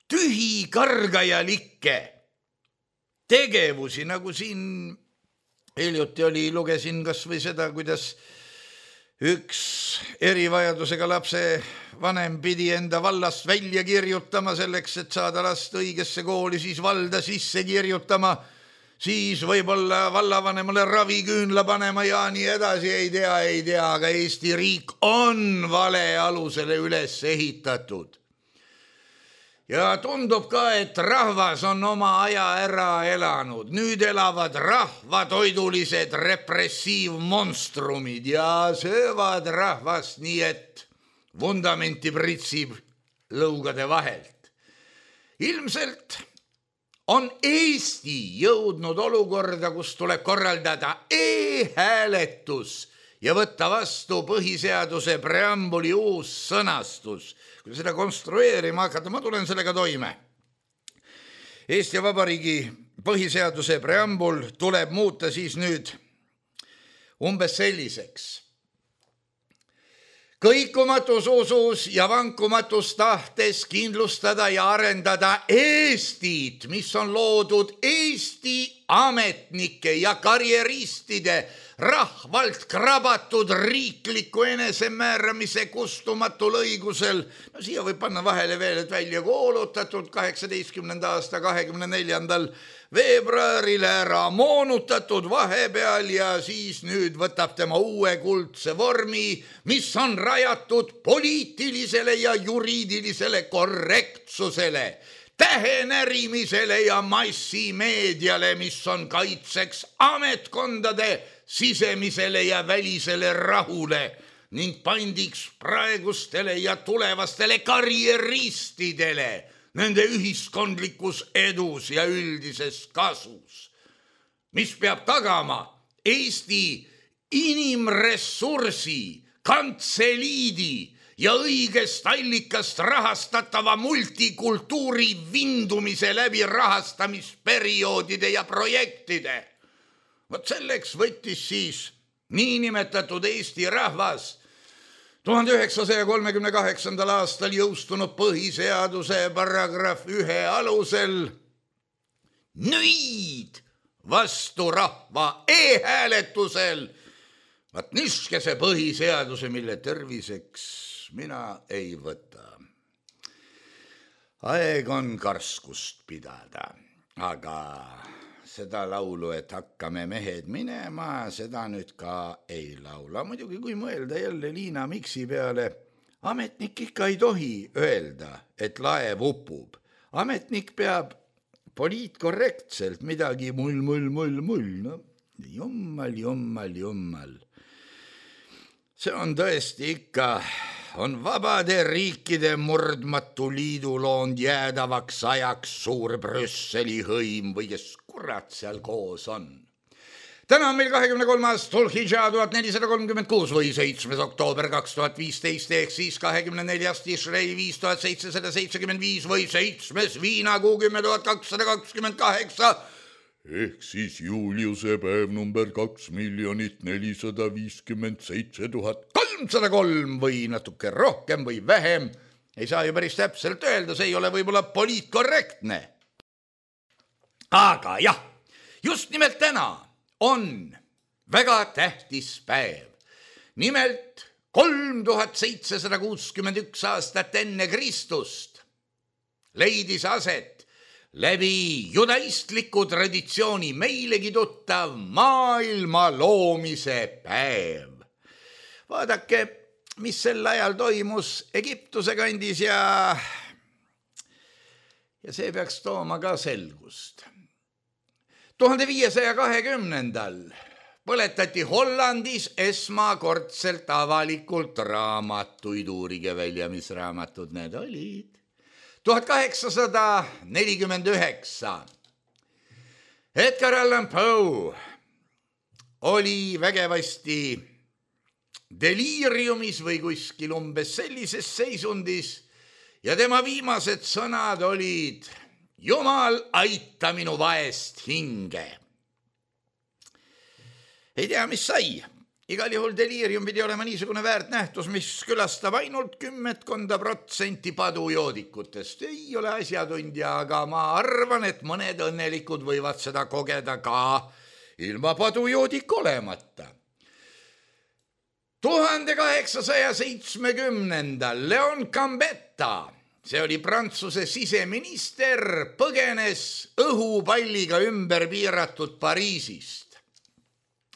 S3: tühi kargajalikke tegevusi, nagu siin hiljuti oli, lugesin kas või seda, kuidas üks erivajadusega lapse vanem pidi enda vallast välja kirjutama selleks, et saada last õigesse kooli, siis valda sisse kirjutama, siis võib-olla vallavanemale raviküünla panema ja nii edasi, ei tea, ei tea, aga Eesti riik on vale alusele üles ehitatud. Ja tundub ka, et rahvas on oma aja ära elanud. Nüüd elavad rahvatoidulised repressiivmonstrumid ja söövad rahvast nii, et vundamenti pritsib lõugade vahelt. Ilmselt on Eesti jõudnud olukorda, kus tuleb korraldada e-hääletus ja võtta vastu põhiseaduse preambuli uus sõnastus. Kui seda konstrueerima hakata, ma tulen sellega toime. Eesti Vabariigi põhiseaduse preambul tuleb muuta siis nüüd umbes selliseks. Kõikumatus usus ja vankumatus tahtes kindlustada ja arendada Eestit, mis on loodud Eesti ametnike ja karjeristide rahvalt krabatud riikliku enesemääramise kustumatul õigusel. No siia võib panna vahele veel, et välja kuulutatud kaheksateistkümnenda aasta kahekümne neljandal veebruaril ära moonutatud vahepeal ja siis nüüd võtab tema uue kuldse vormi, mis on rajatud poliitilisele ja juriidilisele korrektsusele, tähenärimisele ja massimeediale, mis on kaitseks ametkondade sisemisele ja välisele rahule ning pandiks praegustele ja tulevastele karjeristidele nende ühiskondlikus edus ja üldises kasus, mis peab tagama Eesti inimressursi, kantseliidi ja õigest allikast rahastatava multikultuuri vindumise läbi rahastamisperioodide ja projektide. Vot selleks võttis siis niinimetatud Eesti rahvas tuhande üheksasaja kolmekümne kaheksandal aastal jõustunud põhiseaduse paragrahv ühe alusel nüüd vastu rahva e-hääletusel. Vaat niskese põhiseaduse, mille terviseks mina ei võta. Aeg on karskust pidada, aga seda laulu, et hakkame mehed minema, seda nüüd ka ei laula. Muidugi, kui mõelda jälle Liina Miksi peale, ametnik ikka ei tohi öelda, et laev upub. Ametnik peab poliitkorrektselt midagi mull, mull, mull, mull, no jummal, jummal, jummal. See on tõesti ikka, on vabade riikide murdmatu liidu loond jäädavaks ajaks suur Brüsseli hõim või kes kurat seal koos on. Täna on meil kahekümne kolmas Dhul-Hidža tuhat nelisada kolmkümmend kuus või seitsmes oktoober kaks tuhat viisteist ehk siis kahekümne neljas Tishrei viis tuhat seitsesada seitsekümmend viis või seitsmes Viinakuu kümme tuhat kakssada kakskümmend kaheksa ehk siis Juliuse päev number kaks miljonit nelisada viiskümmend seitse tuhat kolmsada kolm või natuke rohkem või vähem. Ei saa ju päris täpselt öelda, see ei ole võib-olla poliitkorrektne. Aga jah, just nimelt täna on väga tähtis päev. Nimelt kolm tuhat seitsesada kuuskümmend üks aastat enne Kristust leidis aset läbi judaistliku traditsiooni meilegi tuttav maailma loomise päev. Vaadake, mis sel ajal toimus Egiptuse kandis ja, ja see peaks tooma ka selgust. tuhande viiesaja kahekümnendal põletati Hollandis esmakordselt avalikult raamatuid, uurige välja, mis raamatud need olid. tuhat kaheksasada nelikümmend üheksa Edgar Allan Poe oli vägevasti deliiriumis või kuskil umbes sellises seisundis ja tema viimased sõnad olid: Jumal, aita minu vaest hinge. Ei tea, mis sai. Igal juhul deliirium pidi olema niisugune väärt nähtus, mis külastab ainult kümmetkonda protsenti padujoodikutest. Ei ole asjatundja, aga ma arvan, et mõned õnnelikud võivad seda kogeda ka ilma padujoodik olemata. tuhande kaheksasaja seitsmekümnendal Leon Gambetta, see oli Prantsuse siseminister, põgenes õhupalliga ümber piiratud Pariisist.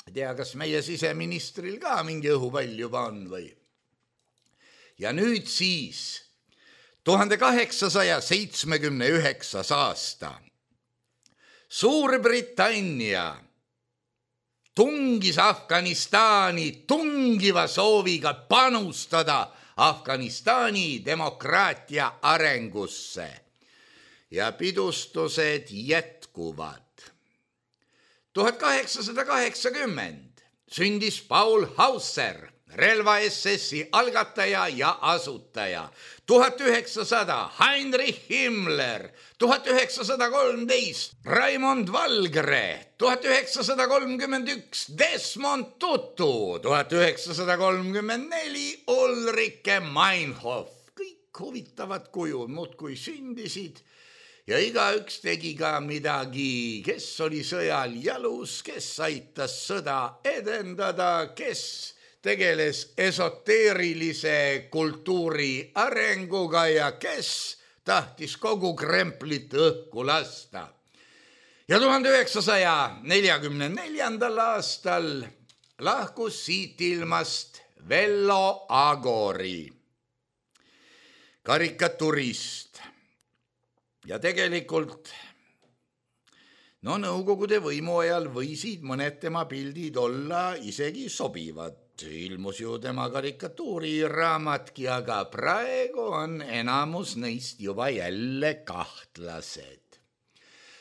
S3: Ei tea, kas meie siseministril ka mingi õhupall juba on või? Ja nüüd siis tuhande kaheksasaja seitsmekümne üheksas aasta Suurbritannia tungis Afganistani tungiva sooviga panustada Afganistani demokraatia arengusse ja pidustused jätkuvad. tuhat kaheksasada kaheksakümmend sündis Paul Hauser, relva S S-i algataja ja asutaja. tuhat üheksasada Heinrich Himmler, tuhat üheksasada kolmteist Raimond Valgre, tuhat üheksasada kolmkümmend üks Desmond Tutu, tuhat üheksasada kolmkümmend neli Ulrike Meinhof. Kõik huvitavad kujud muudkui sündisid ja igaüks tegi ka midagi, kes oli sõjal jalus, kes aitas sõda edendada, kes tegeles esoteerilise kultuuri arenguga ja kes tahtis kogu kremplit õhku lasta. Ja tuhande üheksasaja neljakümne neljandal aastal lahkus siit ilmast Vello Agori, karikaturist. Ja tegelikult, no nõukogude võimu ajal võisid mõned tema pildid olla isegi sobivad. Ilmus ju tema karikatuuriraamatki, aga praegu on enamus neist juba jälle kahtlased.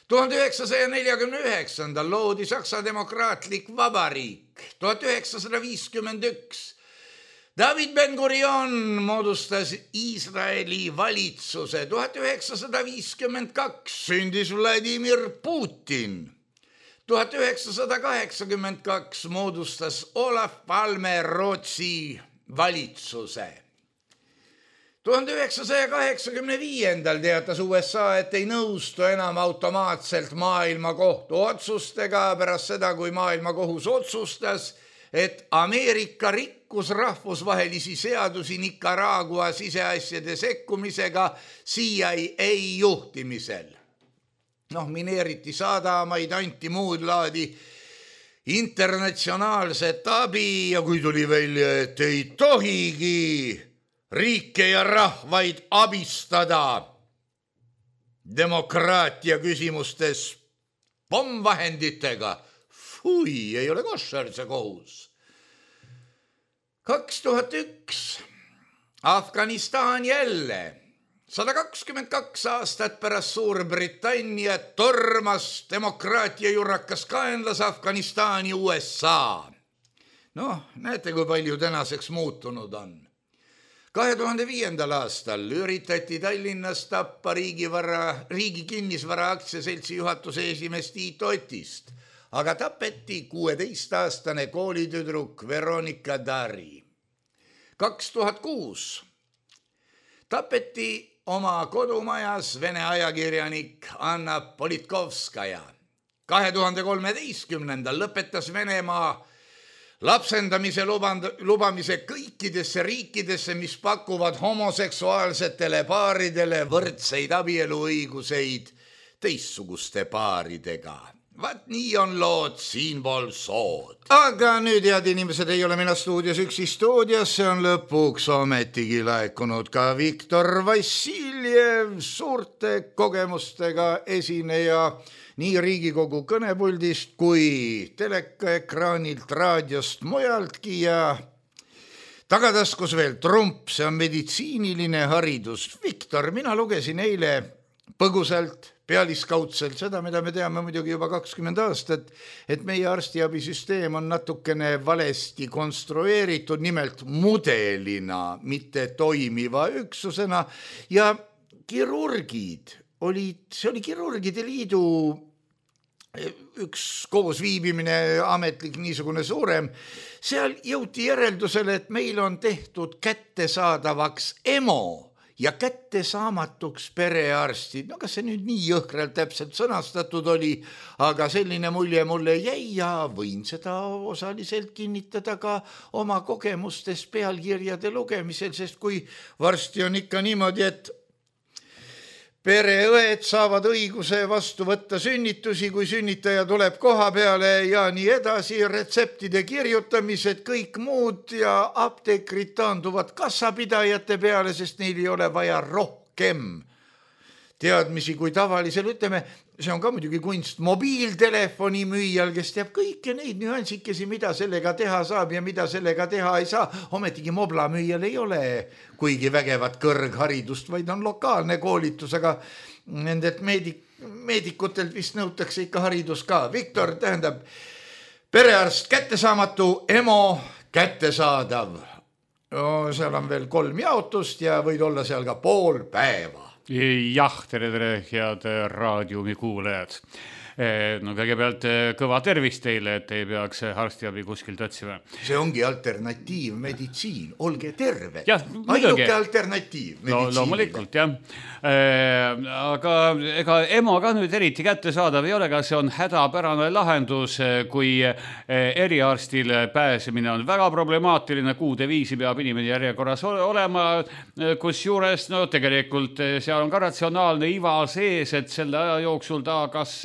S3: tuhande üheksasaja neljakümne üheksandal loodi Saksa demokraatlik vabariik. tuhat üheksasada viiskümmend üks David Ben-Gurion moodustas Iisraeli valitsuse. tuhat üheksasada viiskümmend kaks sündis Vladimir Putin. tuhat üheksasada kaheksakümmend kaks moodustas Olaf Palme Rootsi valitsuse. tuhande üheksasaja kaheksakümne viiendal teatas U S A, et ei nõustu enam automaatselt maailmakohtu otsustega pärast seda, kui maailmakohus otsustas, et Ameerika rikkus rahvusvahelisi seadusi Nicaragua siseasjade sekkumisega C I A juhtimisel. Noh, mineeriti sadamaid, anti muud laadi internatsionaalset abi ja kui tuli välja, et ei tohigi riike ja rahvaid abistada, demokraatia küsimustes pommvahenditega. Fui, ei ole koššer see kohus. kaks tuhat üks. Afganistan jälle. sada kakskümmend kaks aastat pärast Suurbritannia tormas demokraatia jurrakas kaenlas Afganistani U S A. Noh, näete, kui palju tänaseks muutunud on. kahe tuhande viiendal aastal üritati Tallinnas tappa riigivara, riigi kinnisvara aktsiaseltsi juhatuse esimees Tiit Otist, aga tapeti kuueteistaastane koolitüdruk Veronika Dari. kaks tuhat kuus tapeti oma kodumajas Vene ajakirjanik Anna Politkovskaja. kahe tuhande kolmeteistkümnendal lõpetas Venemaa lapsendamise luband, lubamise kõikidesse riikidesse, mis pakuvad homoseksuaalsetele paaridele võrdseid abieluõiguseid teistsuguste paaridega. Vaat nii on lood siinpool sood. Aga nüüd, head inimesed, ei ole mina stuudios üksi stuudios, see on lõpuks ometigi laekunud ka Viktor Vassiljev, suurte kogemustega esineja nii Riigikogu kõnepuldist kui telekaekraanilt, raadiost, mujaltki ja tagataskus veel trump, see on meditsiiniline haridus. Viktor, mina lugesin eile põgusalt, pealiskaudselt seda, mida me teame muidugi juba kakskümmend aastat, et meie arstiabisüsteem on natukene valesti konstrueeritud, nimelt mudelina, mitte toimiva üksusena ja kirurgid olid, see oli kirurgide liidu üks koosviibimine, ametlik niisugune suurem, seal jõuti järeldusele, et meil on tehtud kättesaadavaks EMO ja kättesaamatuks perearstid. No kas see nüüd nii jõhkralt täpselt sõnastatud oli, aga selline mulje mulle jäi ja võin seda osaliselt kinnitada ka oma kogemustes pealkirjade lugemisel, sest kui varsti on ikka niimoodi, et pereõed saavad õiguse vastu võtta sünnitusi, kui sünnitaja tuleb koha peale ja nii edasi, retseptide kirjutamised, kõik muud ja apteekrid taanduvad kassapidajate peale, sest neil ei ole vaja rohkem teadmisi kui tavalisel, ütleme, see on ka muidugi kunst mobiiltelefoni müüjal, kes teab kõike neid nüansikesi, mida sellega teha saab ja mida sellega teha ei saa. Ometigi mobla müüjal ei ole kuigi vägevat kõrgharidust, vaid on lokaalne koolitus, aga nendelt meedik, meedikutelt vist nõutakse ikka haridus ka. Viktor, tähendab, perearst kättesaamatu, EMO kättesaadav. No, seal on veel kolm jaotust ja võid olla seal ka pool päeva.
S4: Jah, tere, tere, head raadiumi kuulajad. No kõigepealt kõva tervist teile, et ei peaks arstiabi kuskilt otsima.
S3: See ongi alternatiivmeditsiin, olge terve.
S4: Ainuke
S3: alternatiiv
S4: no, loomulikult, jah. Aga ega EMO ka nüüd eriti kättesaadav ei ole, aga see on hädapärane lahendus, kui eriarstile pääsemine on väga problemaatiline, kuude viisi peab inimene järjekorras olema, kus juures no, tegelikult seal on ka ratsionaalne iva sees, et selle aja jooksul ta kas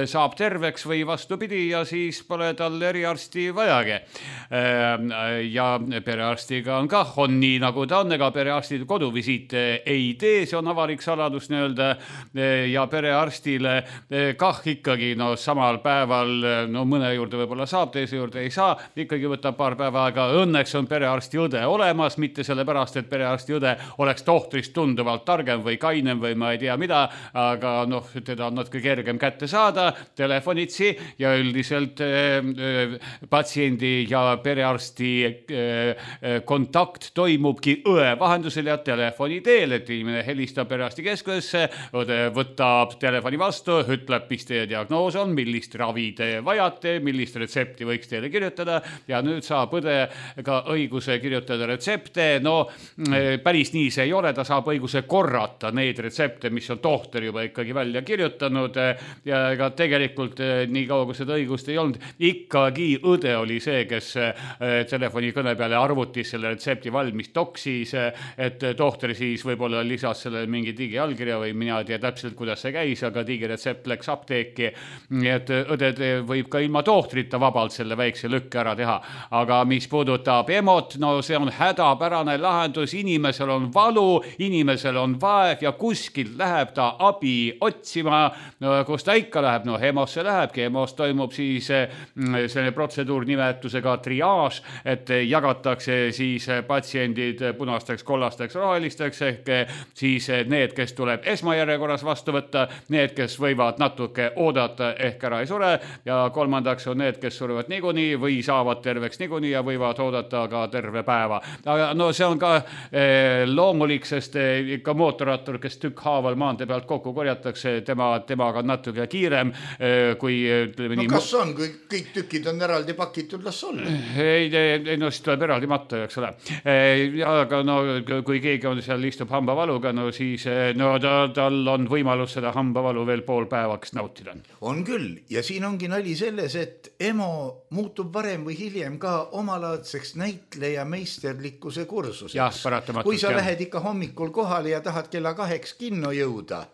S4: saab terveks või vastupidi ja siis pole tal eriarsti vajagi. Ja perearstiga on kah, on nii nagu ta on, ega perearstid koduvisiite ei tee, see on avalik saladus nii-öelda ja perearstile kah ikkagi no, samal päeval no, mõne juurde võib-olla saab, teise juurde ei saa, ikkagi võtab paar päeva, aga õnneks on perearsti õde olemas, mitte sellepärast, et perearsti õde oleks tohtrist tunduvalt targem või kainem või ma ei tea mida, aga noh, teda on natuke kergem kätte saada, telefonitsi ja üldiselt äh, patsiendi ja perearsti äh, kontakt toimubki õe vahendusel ja telefoni teel, et inimene helistab perearsti keskusesse, õde võtab telefoni vastu, ütleb, mis teie diagnoos on, millist ravi te vajate, millist retsepti võiks teile kirjutada ja nüüd saab õde ka õiguse kirjutada retsepte. No päris nii see ei ole, ta saab õiguse korrata neid retsepte, mis on tohter juba ikkagi välja kirjutanud ja ega tegelikult nii kaua, kui seda õigust ei olnud, ikkagi õde oli see, kes telefonikõne peale arvutis selle retsepti valmis toksis, et tohter siis võib-olla lisas selle mingi digiallkirja või mina ei tea täpselt, kuidas see käis, aga digiretsept läks apteeki, nii et õded võib ka ilma tohtrita vabalt selle väikse lükke ära teha. Aga mis puudutab emot, no see on hädapärane lahendus, inimesel on valu, inimesel on vaev ja kuskilt läheb ta abi otsima, no, kus ta ikka läheb, no hemosse lähebki, hemos toimub siis selline protseduur nimetusega triaaž, et jagatakse siis patsiendid punasteks, kollasteks, rohelisteks ehk siis need, kes tuleb esmajärjekorras vastu võtta, need, kes võivad natuke oodata ehk ära ei sure ja kolmandaks on need, kes surevad niikuinii või saavad terveks niikuinii ja võivad oodata ka terve päeva. Aga no see on ka eh, loomulik, sest eh, ikka mootorrattur, kes tükkhaaval maantee pealt kokku korjatakse, tema, temaga on natuke kiirem eh, kui ütleme,
S3: no
S4: nii,
S3: kas on, kui kõik tükid on eraldi pakitud, las olla?
S4: Ei, ei, no siis tuleb eraldi matta, eks ole. Eh, aga no kui keegi on seal istub hambavaluga, no siis no, ta, tal on võimalus seda hambavalu veel pool päevaks nautida.
S3: On küll ja siin ongi nali selles, et emo muutub varem või hiljem ka omalaadseks näitleja meisterlikkuse kursuseks. Kui sa lähed ikka hommikul kohale ja tahad kella kaheks kinno jõuda,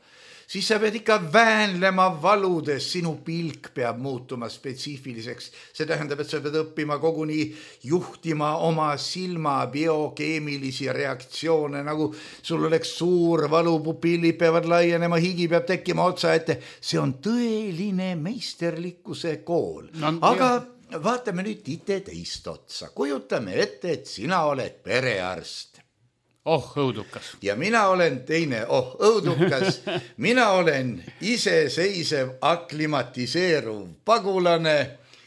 S3: siis sa pead ikka väänlema valudes, sinu pilk peab muutuma spetsiifiliseks. See tähendab, et sa pead õppima koguni juhtima oma silma biokeemilisi reaktsioone, nagu sul oleks suur valu, pupillid peavad laienema, higi peab tekkima otsa ette. See on tõeline meisterlikkuse kool. No, aga jah. Vaatame nüüd ite teist otsa. Kujutame ette, et sina oled perearst.
S4: Oh, õudukas.
S3: Ja mina olen teine, oh, õudukas. Mina olen iseseisev aklimatiseeruv pagulane,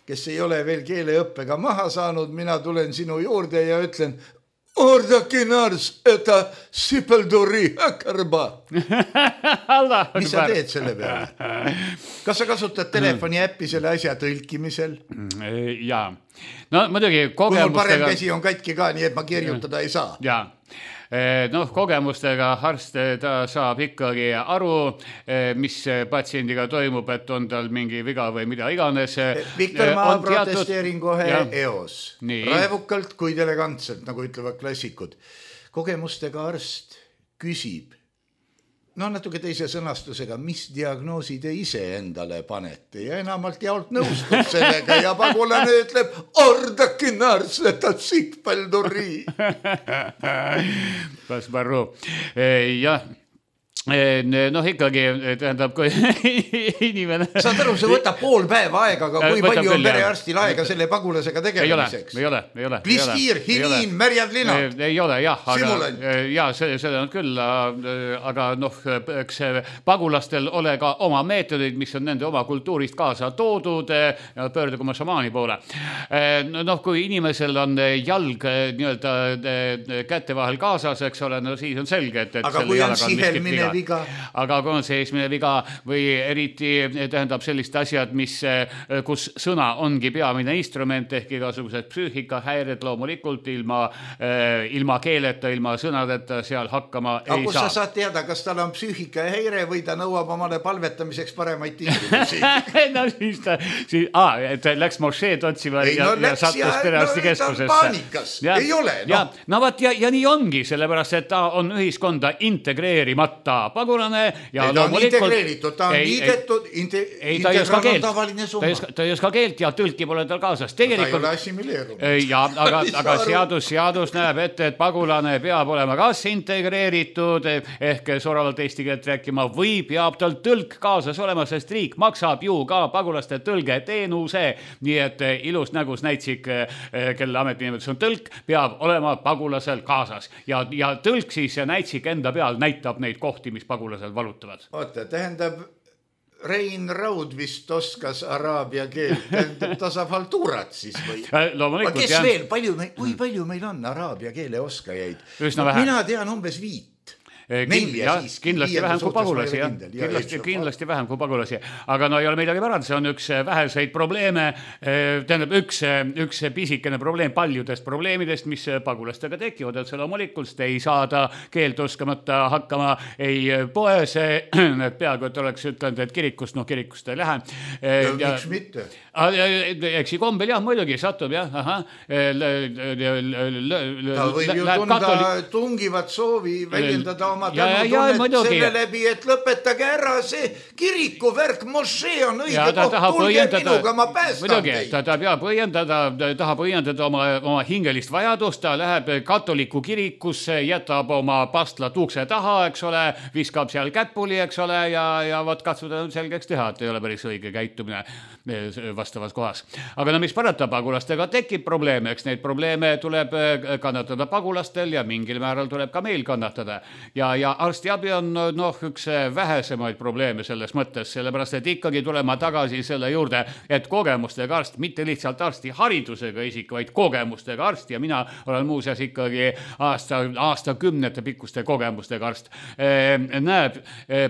S3: kes ei ole veel keeleõppega maha saanud. Mina tulen sinu juurde ja ütlen, Ordakin ars, eta sipelduri äkärba. Mis sa teed selle peale? Kas sa kasutad telefoni äppi selle asja tõlkimisel?
S4: Jaa. No muidugi kogemustega...
S3: Kui mul parem käsi on katki ka, nii et ma kirjutada ei saa.
S4: Jaa. Noh, kogemustega arst ta saab ikkagi aru, mis patsiendiga toimub, et on tal mingi viga või mida iganes.
S3: Viktor, ma protesteerin kohe eos. Raevukalt, kuid elegantselt, nagu ütlevad klassikud. Kogemustega arst küsib, no natuke teise sõnastusega, mis diagnoosi te ise endale panete ja enamalt jaolt nõustub sellega ja pagulane ütleb, ordakin ars, et on sikpelduri.
S4: Kas marru? Jah. Noh, ikkagi tähendab, kui inimene...
S3: Saad aru, see võtab pool päeva aega, aga kui võtab palju on perearstil aega selle pagulasega tegelemiseks?
S4: Ei ole, ei ole.
S3: Plistiir, hiniin, märjad linad.
S4: Ei ole, jah.
S3: Simulant.
S4: Ja, seda on küll, aga noh, eks pagulastel ole ka oma meetodid, mis on nende oma kultuurist kaasa toodud ja pöördugu oma šamaani poole. Noh, kui inimesel on jalg nii-öelda kätte vahel kaasas, eks ole, no siis on selge, et
S3: aga kui on sihelmine viga.
S4: Aga kui on seesmine viga või eriti tähendab sellist asjad, mis, kus sõna ongi peamine instrument ehk igasugused psüühikahäired loomulikult ilma, ilma keeleta, ilma sõnadeta seal hakkama
S3: aga
S4: ei
S3: kus
S4: saa.
S3: Sa saad teada, kas tal on psüühikahäire või ta nõuab omale palvetamiseks paremaid tingimusi?
S4: no siis ta, siis, ah, et läks mošeed otsima ei, ja, no, ja sattus perearsti keskusesse.
S3: Paanikas, ja, ei ole. No.
S4: Ja, no vaat, ja, ja nii ongi, sellepärast, et ta on ühiskonda integreerimata pagulane ja
S3: ei, ta on integreeritud, ta on liidetud, integraal on tavaline summa.
S4: Ta ei oska keelt ja tõlki pole tal kaasas. Tegelikult,
S3: ta ei ole assimileerunud.
S4: Ja, aga, aga seadus, seadus näeb ette, et pagulane peab olema kas integreeritud ehk soravalt eesti keelt rääkima või peab tal tõlk kaasas olema, sest riik maksab ju ka pagulaste tõlge teenuse. Nii et ilus nägus näitsik, kelle ametinimetus on tõlk, peab olema pagulasel kaasas. Ja, ja tõlk siis ja näitsik enda peal näitab neid kohti, mis pagulasel valutavad.
S3: Oota, tähendab, Rein Raud vist oskas araabia keelt, tähendab, ta saab haltuurat siis või?
S4: Loomulikult,
S3: kes jah. Veel, palju me, kui palju meil on araabia keele oskajaid?
S4: Üsna vähe.
S3: Mina tean umbes viit. Nelja siiski.
S4: Kindlasti vähem kui pagulasi, jah. Kindlasti, kindlasti vähem kui pagulasi. Aga no ei ole midagi pärand, see on üks väheseid probleeme, tähendab üks, üks pisikene probleem paljudest probleemidest, mis pagulastega tekivad, et see loomulikult ei saada keelt oskamata hakkama ei poes, et peaaegu, et oleks ütelnud, et kirikust, noh kirikust ei lähe.
S3: Ja, ja miks mitte?
S4: Eks kombel jah, muidugi satub jah, aha.
S3: Ta võib ju tunda tungivat soovi väljendada oma tänutunnet selle läbi, et lõpetage ära see kirikuvärk, mošee on õige koht, tulge minuga, ma päästan teid.
S4: Ta tahab õiendada, tahab õiendada oma, oma hingelist vajadust, ta läheb katoliku kirikusse, jätab oma pastlat ukse taha, eks ole, viskab seal käpuli, eks ole, ja, ja võt katsuda selgeks teha, et ei ole päris õige käitumine vastavas kohas. Aga no mis parata, pagulastega tekib probleeme, eks neid probleeme tuleb kannatada pagulastel ja mingil määral tuleb ka meil kannatada. Ja, ja arstiabi on noh, üks vähesemaid probleeme selles mõttes, sellepärast, et ikkagi tulema tagasi selle juurde, et kogemustega arst, mitte lihtsalt arsti haridusega isik, vaid kogemustega arst ja mina olen muuseas ikkagi aasta, aasta kümnete pikkuste kogemustega arst, näeb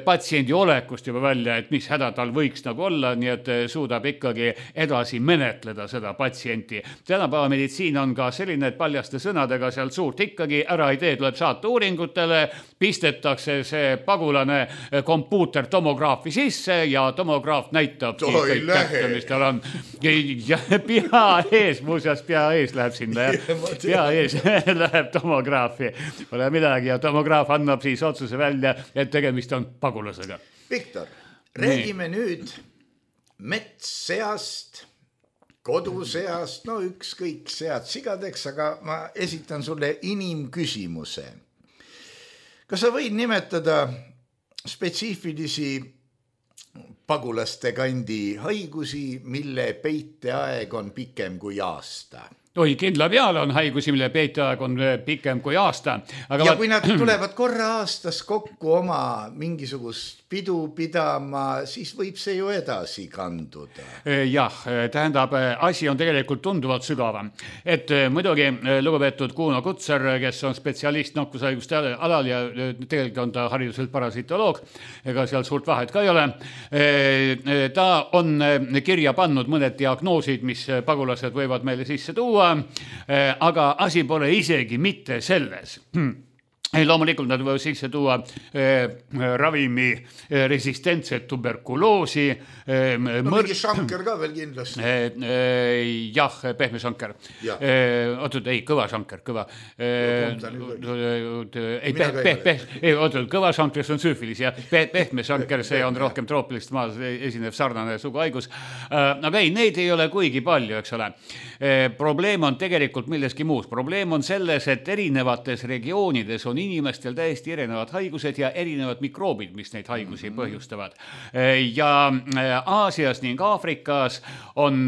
S4: patsiendi olekust juba välja, et mis häda tal võiks nagu olla, nii et suudab ikkagi edasi menetleda seda patsienti. Tänapäeva meditsiin on ka selline, et paljaste sõnadega sealt suurt ikkagi ära ei tee, tuleb saata uuringutele, pistetakse see pagulane kompuuter tomograafi sisse ja tomograaf näitab
S3: kõik kätte,
S4: mis tal on. Ja pea ees, muuseas pea ees läheb sinna ja pea ees läheb tomograafi. Pole midagi ja tomograaf annab siis otsuse välja, et tegemist on pagulasega.
S3: Viktor, räägime Nii. nüüd metsseast, koduseast, no ükskõik sead sigadeks, aga ma esitan sulle inimküsimuse. Kas sa võid nimetada spetsiifilisi pagulaste kandi haigusi, mille peiteaeg on pikem kui aasta?
S4: Oi, kindla peale on haigusi, mille peiteaeg on pikem kui aasta. Aga
S3: ja kui nad tulevad korra aastas kokku oma mingisugust pidu pidama, siis võib see ju edasi kanduda.
S4: Jah, tähendab, asi on tegelikult tunduvalt sügavam. Et muidugi lugupeetud Kuno Kutsar, kes on spetsialist nakkushaiguste alal ja tegelikult on ta hariduselt parasitoloog, ega seal suurt vahet ka ei ole. Ta on kirja pannud mõned diagnoosid, mis pagulased võivad meile sisse tuua, aga asi pole isegi mitte selles. Loomulikult nad võivad sisse tuua eh, ravimi eh, resistentset tuberkuloosi.
S3: Eh, no mõr... mingi šanker ka veel kindlasti.
S4: Eh, eh, jah, pehme šanker. Ja. Eh, ootad, ei, kõva šanker, kõva. Eh, ei, peh, peh, peh, ei, ootad, kõva šanker, see on süüfilis ja peh, pehme šanker, see on rohkem troopilist maas esinev sarnane suguhaigus. Eh, aga ei, neid ei ole kuigi palju, eks ole. Eh, probleem on tegelikult milleski muus. Probleem on selles, et erinevates regioonides on inimestel täiesti erinevad haigused ja erinevad mikroobid, mis neid haigusi põhjustavad. Ja Aasias ning Aafrikas on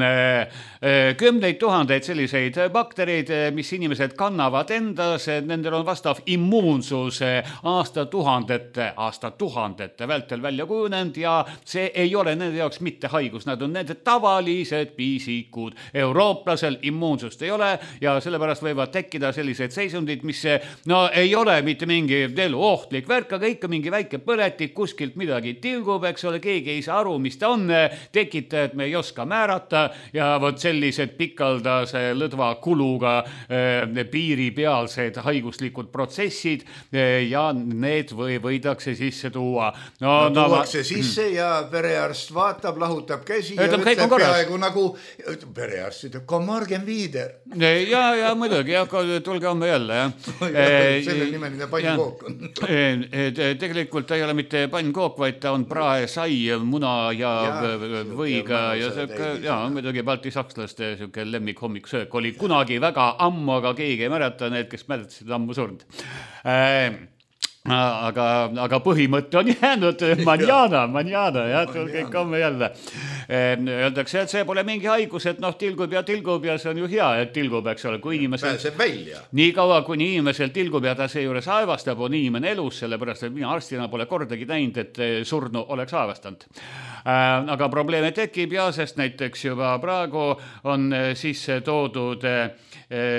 S4: kümneid tuhandeid selliseid baktereid, mis inimesed kannavad endas, nendel on vastav immuunsus aastatuhandete, aastatuhandete vältel välja kujunenud ja see ei ole nende jaoks mitte haigus, nad on nende tavalised piisikud. Eurooplasel immuunsust ei ole ja sellepärast võivad tekkida sellised seisundid, mis no ei ole mitte mingi elu ohtlik värk, aga ikka mingi väike põletik, kuskilt midagi tilgub, eks ole, keegi ei saa aru, mis ta on, tekitajad me ei oska määrata ja vot sellised pikaldase lõdva kuluga eh, piiripealsed haiguslikud protsessid eh, ja need või, võidakse sisse tuua.
S3: No, no tuuakse no, sisse ja perearst vaatab, lahutab käsi ja ütleb peaaegu nagu, perearst ütleb, kom morgen viider.
S4: Ja, ja muidugi, ja tulge homme jälle, jah.
S3: Selle nimeni pannkook on.
S4: Tegelikult ta ei ole mitte pannkook, vaid ta on prae, sai, muna ja, ja võiga ja, ja, ja muidugi balti sakslaste siuke lemmik hommiksöök oli kunagi väga ammu, aga keegi ei mäleta, need, kes mäletasid ammu surnud. Aga, aga põhimõte on jäänud manjana, manjana, jah, tulge homme jälle. öeldakse, et see pole mingi haigus, et noh, tilgub ja tilgub ja see on ju hea, et tilgub, eks ole, kui inimesel
S3: pääseb välja.
S4: Nii kaua, kuni inimesel tilgub ja ta seejuures aevastab, on inimene elus, sellepärast, et mina arstina pole kordagi näinud, et surnu oleks aevastanud. Aga probleeme tekib ja sest näiteks juba praegu on sisse toodud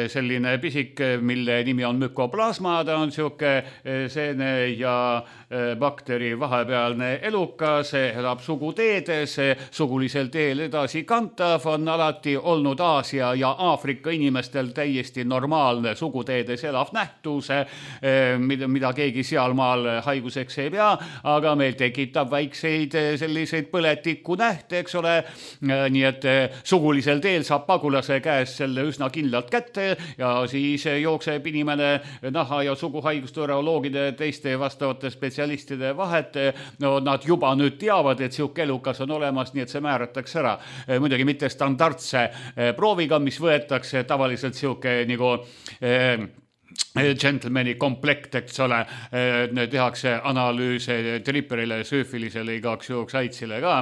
S4: selline pisik, mille nimi on mükoplasma, ta on siuke seene ja bakteri vahepealne elukas, elab suguteedes, sugulisel teel edasi kantav, on alati olnud Aasia ja Aafrika inimestel täiesti normaalne suguteedes elav nähtus, mida, mida keegi sealmaal haiguseks ei pea, aga meil tekitab väikseid selliseid põletiku nähte, eks ole, nii et sugulisel teel saab pagulase käes selle üsna kindlalt kätte ja siis jookseb inimene naha- ja suguhaiguste uroloogide teiste vastavate spetsialistide vahet, no nad juba nüüd teavad, et siuke elukas on olemas, nii et see määratakse ära. Muidugi mitte standardse prooviga, mis võetakse tavaliselt siuke nagu eh, gentlemani komplekt, eks ole, tehakse analüüse triperile, süüfilisele, igaks juhuks aitsile ka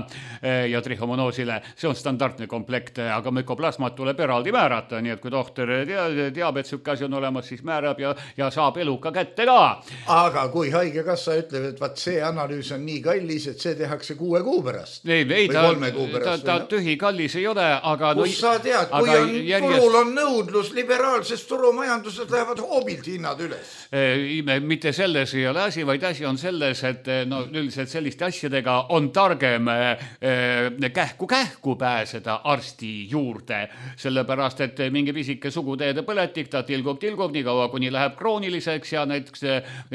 S4: ja trihomonoosile. See on standardne komplekt, aga mükoplasmat tuleb eraldi määrata, nii et kui tohter teab, et sükke asi on olemas, siis määrab ja, ja saab eluka kätte ka.
S3: Aga kui haigekassa ütleb, et vaat see analüüs on nii kallis, et see tehakse kuue kuu pärast
S4: ei, ei,
S3: või
S4: ta,
S3: kolme kuu pärast.
S4: Ta, ta tühi kallis ei ole, aga...
S3: Kus no, sa tead, kui on, järjest... turul on nõudlus, liberaalses turumajanduses lähevad hoobilt hinnad üles.
S4: Mitte selles ei ole asi, vaid asi on selles, et no, üldiselt selliste asjadega on targem kähku-kähku pääseda arsti juurde, sellepärast, et mingi pisike suguteede põletik, ta tilgub-tilgub nii kaua, kuni läheb krooniliseks ja näiteks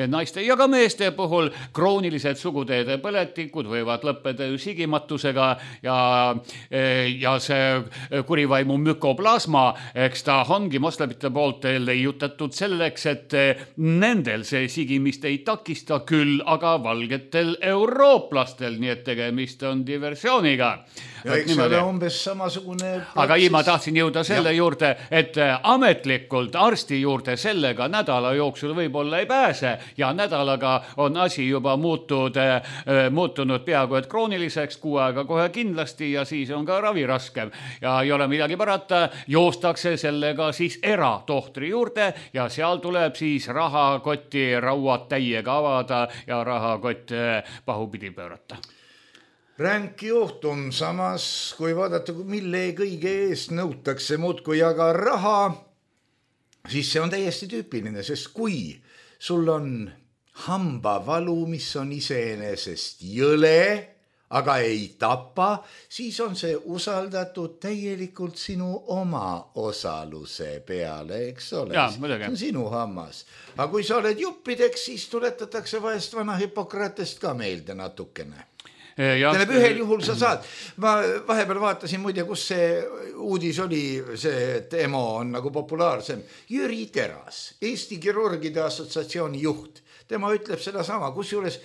S4: naiste ja ka meeste puhul kroonilised suguteede põletikud võivad lõppeda sigimatusega ja, ja see kurivaimu mükoplasma, eks ta ongi moslemite poolt leiutatud selleks, et nendel see sigimist ei takista küll, aga valgetel eurooplastel, nii et tegemist on diversiooniga.
S3: Ja eks ole umbes samasugune protsess.
S4: Aga ei, ma tahtsin jõuda selle ja. juurde, et ametlikult arsti juurde sellega nädala jooksul võib-olla ei pääse ja nädalaga on asi juba muutud, muutunud peaaegu et krooniliseks, kuu aega kohe kindlasti ja siis on ka ravi raskem. Ja ei ole midagi parata, joostakse sellega siis eratohtri juurde ja seal tuleb siis rahakoti rauad täiega avada ja rahakott pahupidi pöörata.
S3: Ränk juhtum, samas kui vaadata, mille kõige eest nõutakse muudkui aga raha, siis see on täiesti tüüpiline, sest kui sul on hambavalu, mis on iseenesest jõle, aga ei tapa, siis on see usaldatud täielikult sinu oma osaluse peale, eks ole?
S4: Ja, see
S3: on sinu hammas. Aga kui sa oled juppideks, siis tuletatakse vahest vana Hippokratest ka meelde natukene. Tähendab, ühel juhul sa saad. Ma vahepeal vaatasin muide, kus see uudis oli, see, et E M O on nagu populaarsem. Jüri Teras, Eesti Kirurgide Assotsiatsiooni juht. Tema ütleb seda sama, kus juures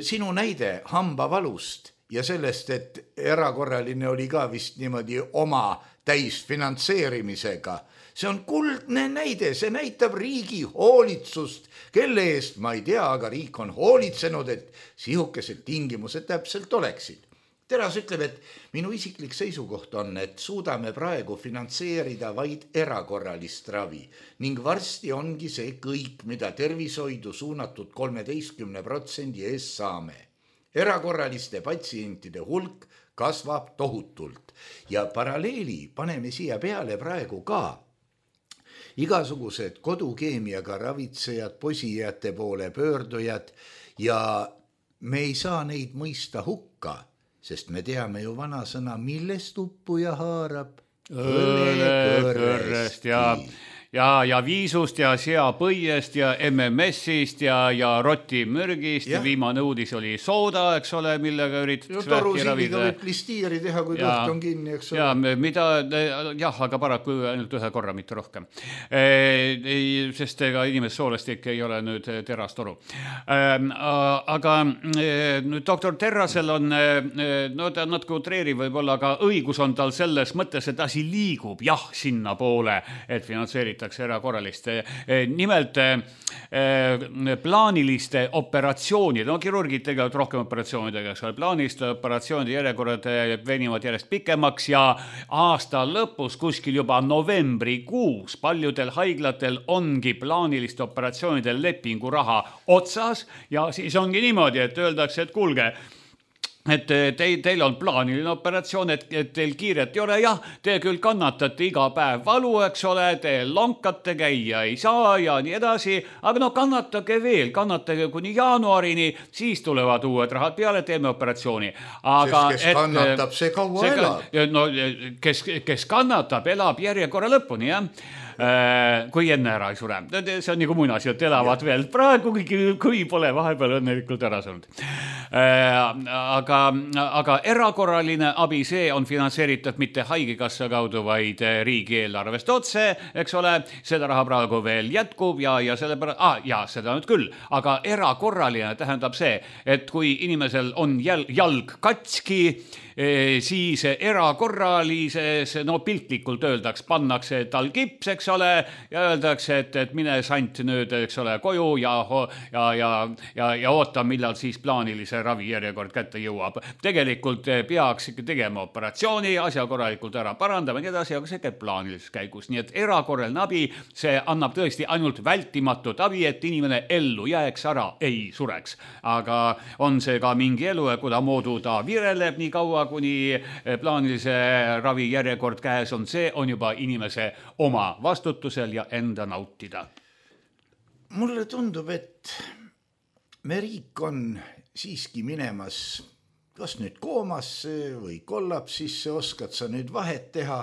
S3: sinu näide hambavalust ja sellest, et erakorraline oli ka vist niimoodi oma täisfinantseerimisega. See on kuldne näide, see näitab riigi hoolitsust, kelle eest ma ei tea, aga riik on hoolitsenud, et sihukesed tingimused täpselt oleksid. Teras ütleb, et minu isiklik seisukoht on, et suudame praegu finantseerida vaid erakorralist ravi ning varsti ongi see kõik, mida tervishoidu suunatud kolmeteistkümne protsendi eest saame. Erakorraliste patsientide hulk kasvab tohutult ja paralleeli paneme siia peale praegu ka. Igasugused kodukeemiaga ravitsejad, posijate poole pöördujad ja me ei saa neid mõista hukka, sest me teame ju vanasõna, millest uppuja haarab
S4: õlekõrrest ja ja, ja viisust ja seapõiest ja M M S-ist ja, ja rotimürgist. Ja. Viimane uudis oli sooda, eks ole, millega üritatakse
S3: vähki ravida. Torusildiga võib listiiri teha, kui kõht on kinni, eks ole.
S4: Ja, mida, jah, aga paraku ainult ühe korra, mitte rohkem. E, sest ega inimest soolestik ei ole nüüd terastoru. E, aga e, doktor Terrasel on, no ta natuke utreeri võib olla, aga õigus on tal selles mõttes, et asi liigub jah sinna poole, et finantseeritakse finantseeritakse erakorralist. Nimelt plaaniliste operatsioonide, no kirurgid tegelevad rohkem operatsioonidega, plaaniliste operatsioonide järjekorrad venivad järjest pikemaks ja aasta lõpus kuskil juba novembrikuus paljudel haiglatel ongi plaaniliste operatsioonide lepinguraha otsas ja siis ongi niimoodi, et öeldakse, et kuulge, et teil, teil on plaaniline operatsioon, et, et teil kiiret ei ole, jah, te küll kannatate iga päev valu, eks ole, te lonkate, käia ei saa ja nii edasi, aga no kannatage veel, kannatage kuni jaanuarini, siis tulevad uued rahad peale, teeme operatsiooni. Aga,
S3: Sest kes et, kannatab, see kaua see, elab.
S4: No, kes, kes kannatab, elab järjekorra lõpuni, jah. Kui enne ära ei sure. See on nagu muinasjutt, elavad ja. Veel praegu, kui pole vahepeal õnnelikult ära saanud. Aga, aga erakorraline abi, see on finantseeritud mitte haigekassa kaudu, vaid riigieelarvest otse, eks ole, seda raha praegu veel jätkub ja, ja selle pärast, ah, ja seda nüüd küll, aga erakorraline tähendab see, et kui inimesel on jalg, jalg katski, siis erakorralises, no piltlikult öeldaks, pannakse tal kips, eks ole, ja öeldakse, et, et mine sant nüüd, eks ole, koju ja, ja, ja, ja, ja oota, millal siis plaanilise ravi järjekord kätte jõuab. Tegelikult peaks ikka tegema operatsiooni, asja korralikult ära parandama ja nii edasi, aga see käib plaanilises käigus. Nii et erakorraline abi, see annab tõesti ainult vältimatut abi, et inimene ellu jääks ära, ei sureks. Aga on see ka mingi elu, kuda moodu ta vireleb nii kaua, kuni plaanilise ravi järjekord käes on, see on juba inimese oma vastutusel ja enda nautida.
S3: Mulle tundub, et me riik on siiski minemas kas nüüd koomasse või kollapsisse, oskad sa nüüd vahet teha,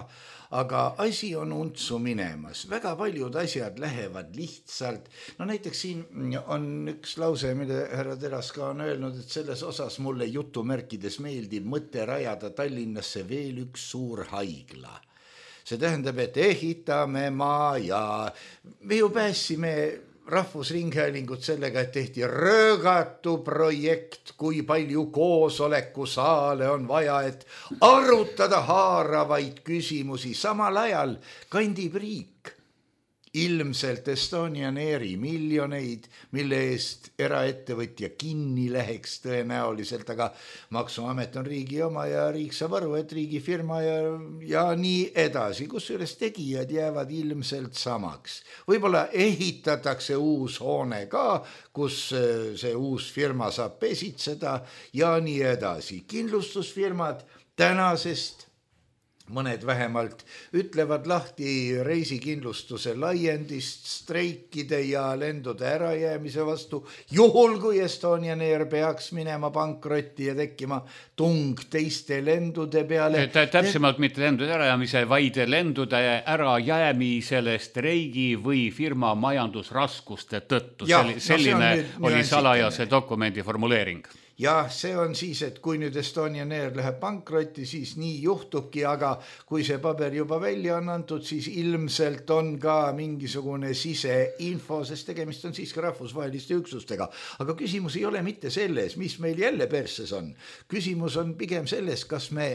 S3: aga asi on untsu minemas. Väga paljud asjad lähevad lihtsalt. No näiteks siin on üks lause, mida härra Teraska on öelnud, et selles osas mulle jutumärkides meeldib mõte rajada Tallinnasse veel üks suur haigla. See tähendab, et ehitame maa ja me ju pääsime Rahvusringhäälingut sellega, et tehti röögatu projekt, kui palju koosolekusaale on vaja, et arutada haaravaid küsimusi. Samal ajal kandib riik ilmselt Estonian Airi miljoneid, mille eest eraettevõtja kinni läheks tõenäoliselt, aga maksuamet on riigi oma ja riik saab aru, et riigifirma ja, ja nii edasi, kusjuures tegijad jäävad ilmselt samaks. Võib-olla ehitatakse uus hoone ka, kus see uus firma saab pesitseda ja nii edasi. Kindlustusfirmad tänasest mõned vähemalt ütlevad lahti reisikindlustuse laiendist, streikide ja lendude ärajäämise vastu, juhul kui Estonian Air peaks minema pankrotti ja tekkima tung teiste lendude peale.
S4: Täpsemalt mitte lendude ärajäämise, vaid lendude ärajäämisele streigi või firma majandusraskuste tõttu. Ja, selline no oli salajase dokumendi formuleering.
S3: Ja see on siis, et kui nüüd Estonian Air läheb pankrotti, siis nii juhtubki, aga kui see paber juba välja on antud, siis ilmselt on ka mingisugune siseinfo, sest tegemist on siis ka rahvusvaheliste üksustega. Aga küsimus ei ole mitte selles, mis meil jälle perses on. Küsimus on pigem selles, kas me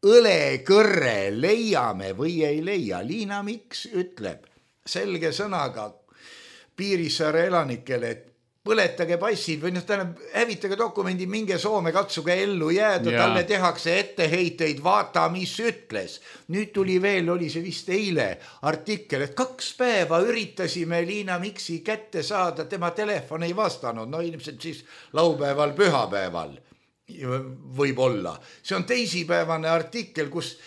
S3: õlekõrre leiame või ei leia. Liina Miks ütleb selge sõnaga Piirissaare elanikele, et põletage passid või noh, tähendab, hävitage dokumendi, minge Soome, katsuge ellu jääda, ja. Talle tehakse etteheiteid, vaata, mis ütles. Nüüd tuli veel, oli see vist eile artikkel, et kaks päeva üritasime Liina Miksi kätte saada, tema telefon ei vastanud, no ilmselt siis laupäeval, pühapäeval võib olla. See on teisipäevane artikkel, kus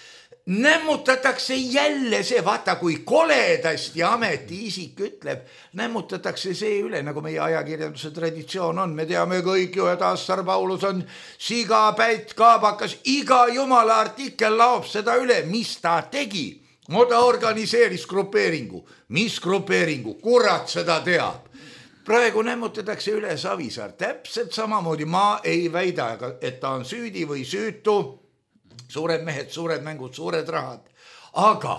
S3: nämmutatakse jälle see, vaata kui koledasti ametiisik ütleb, nämmutatakse see üle, nagu meie ajakirjanduse traditsioon on. Me teame kõik ju, et Assar Paulus on siga, pätt, kaabakas, iga jumala artikkel laob seda üle, mis ta tegi. No ta organiseeris grupeeringu. Mis grupeeringu? Kurat seda teab. Praegu nämmutatakse üle Savisaar. Täpselt samamoodi ma ei väida, et ta on süüdi või süütu. Suured mehed, suured mängud, suured rahad. Aga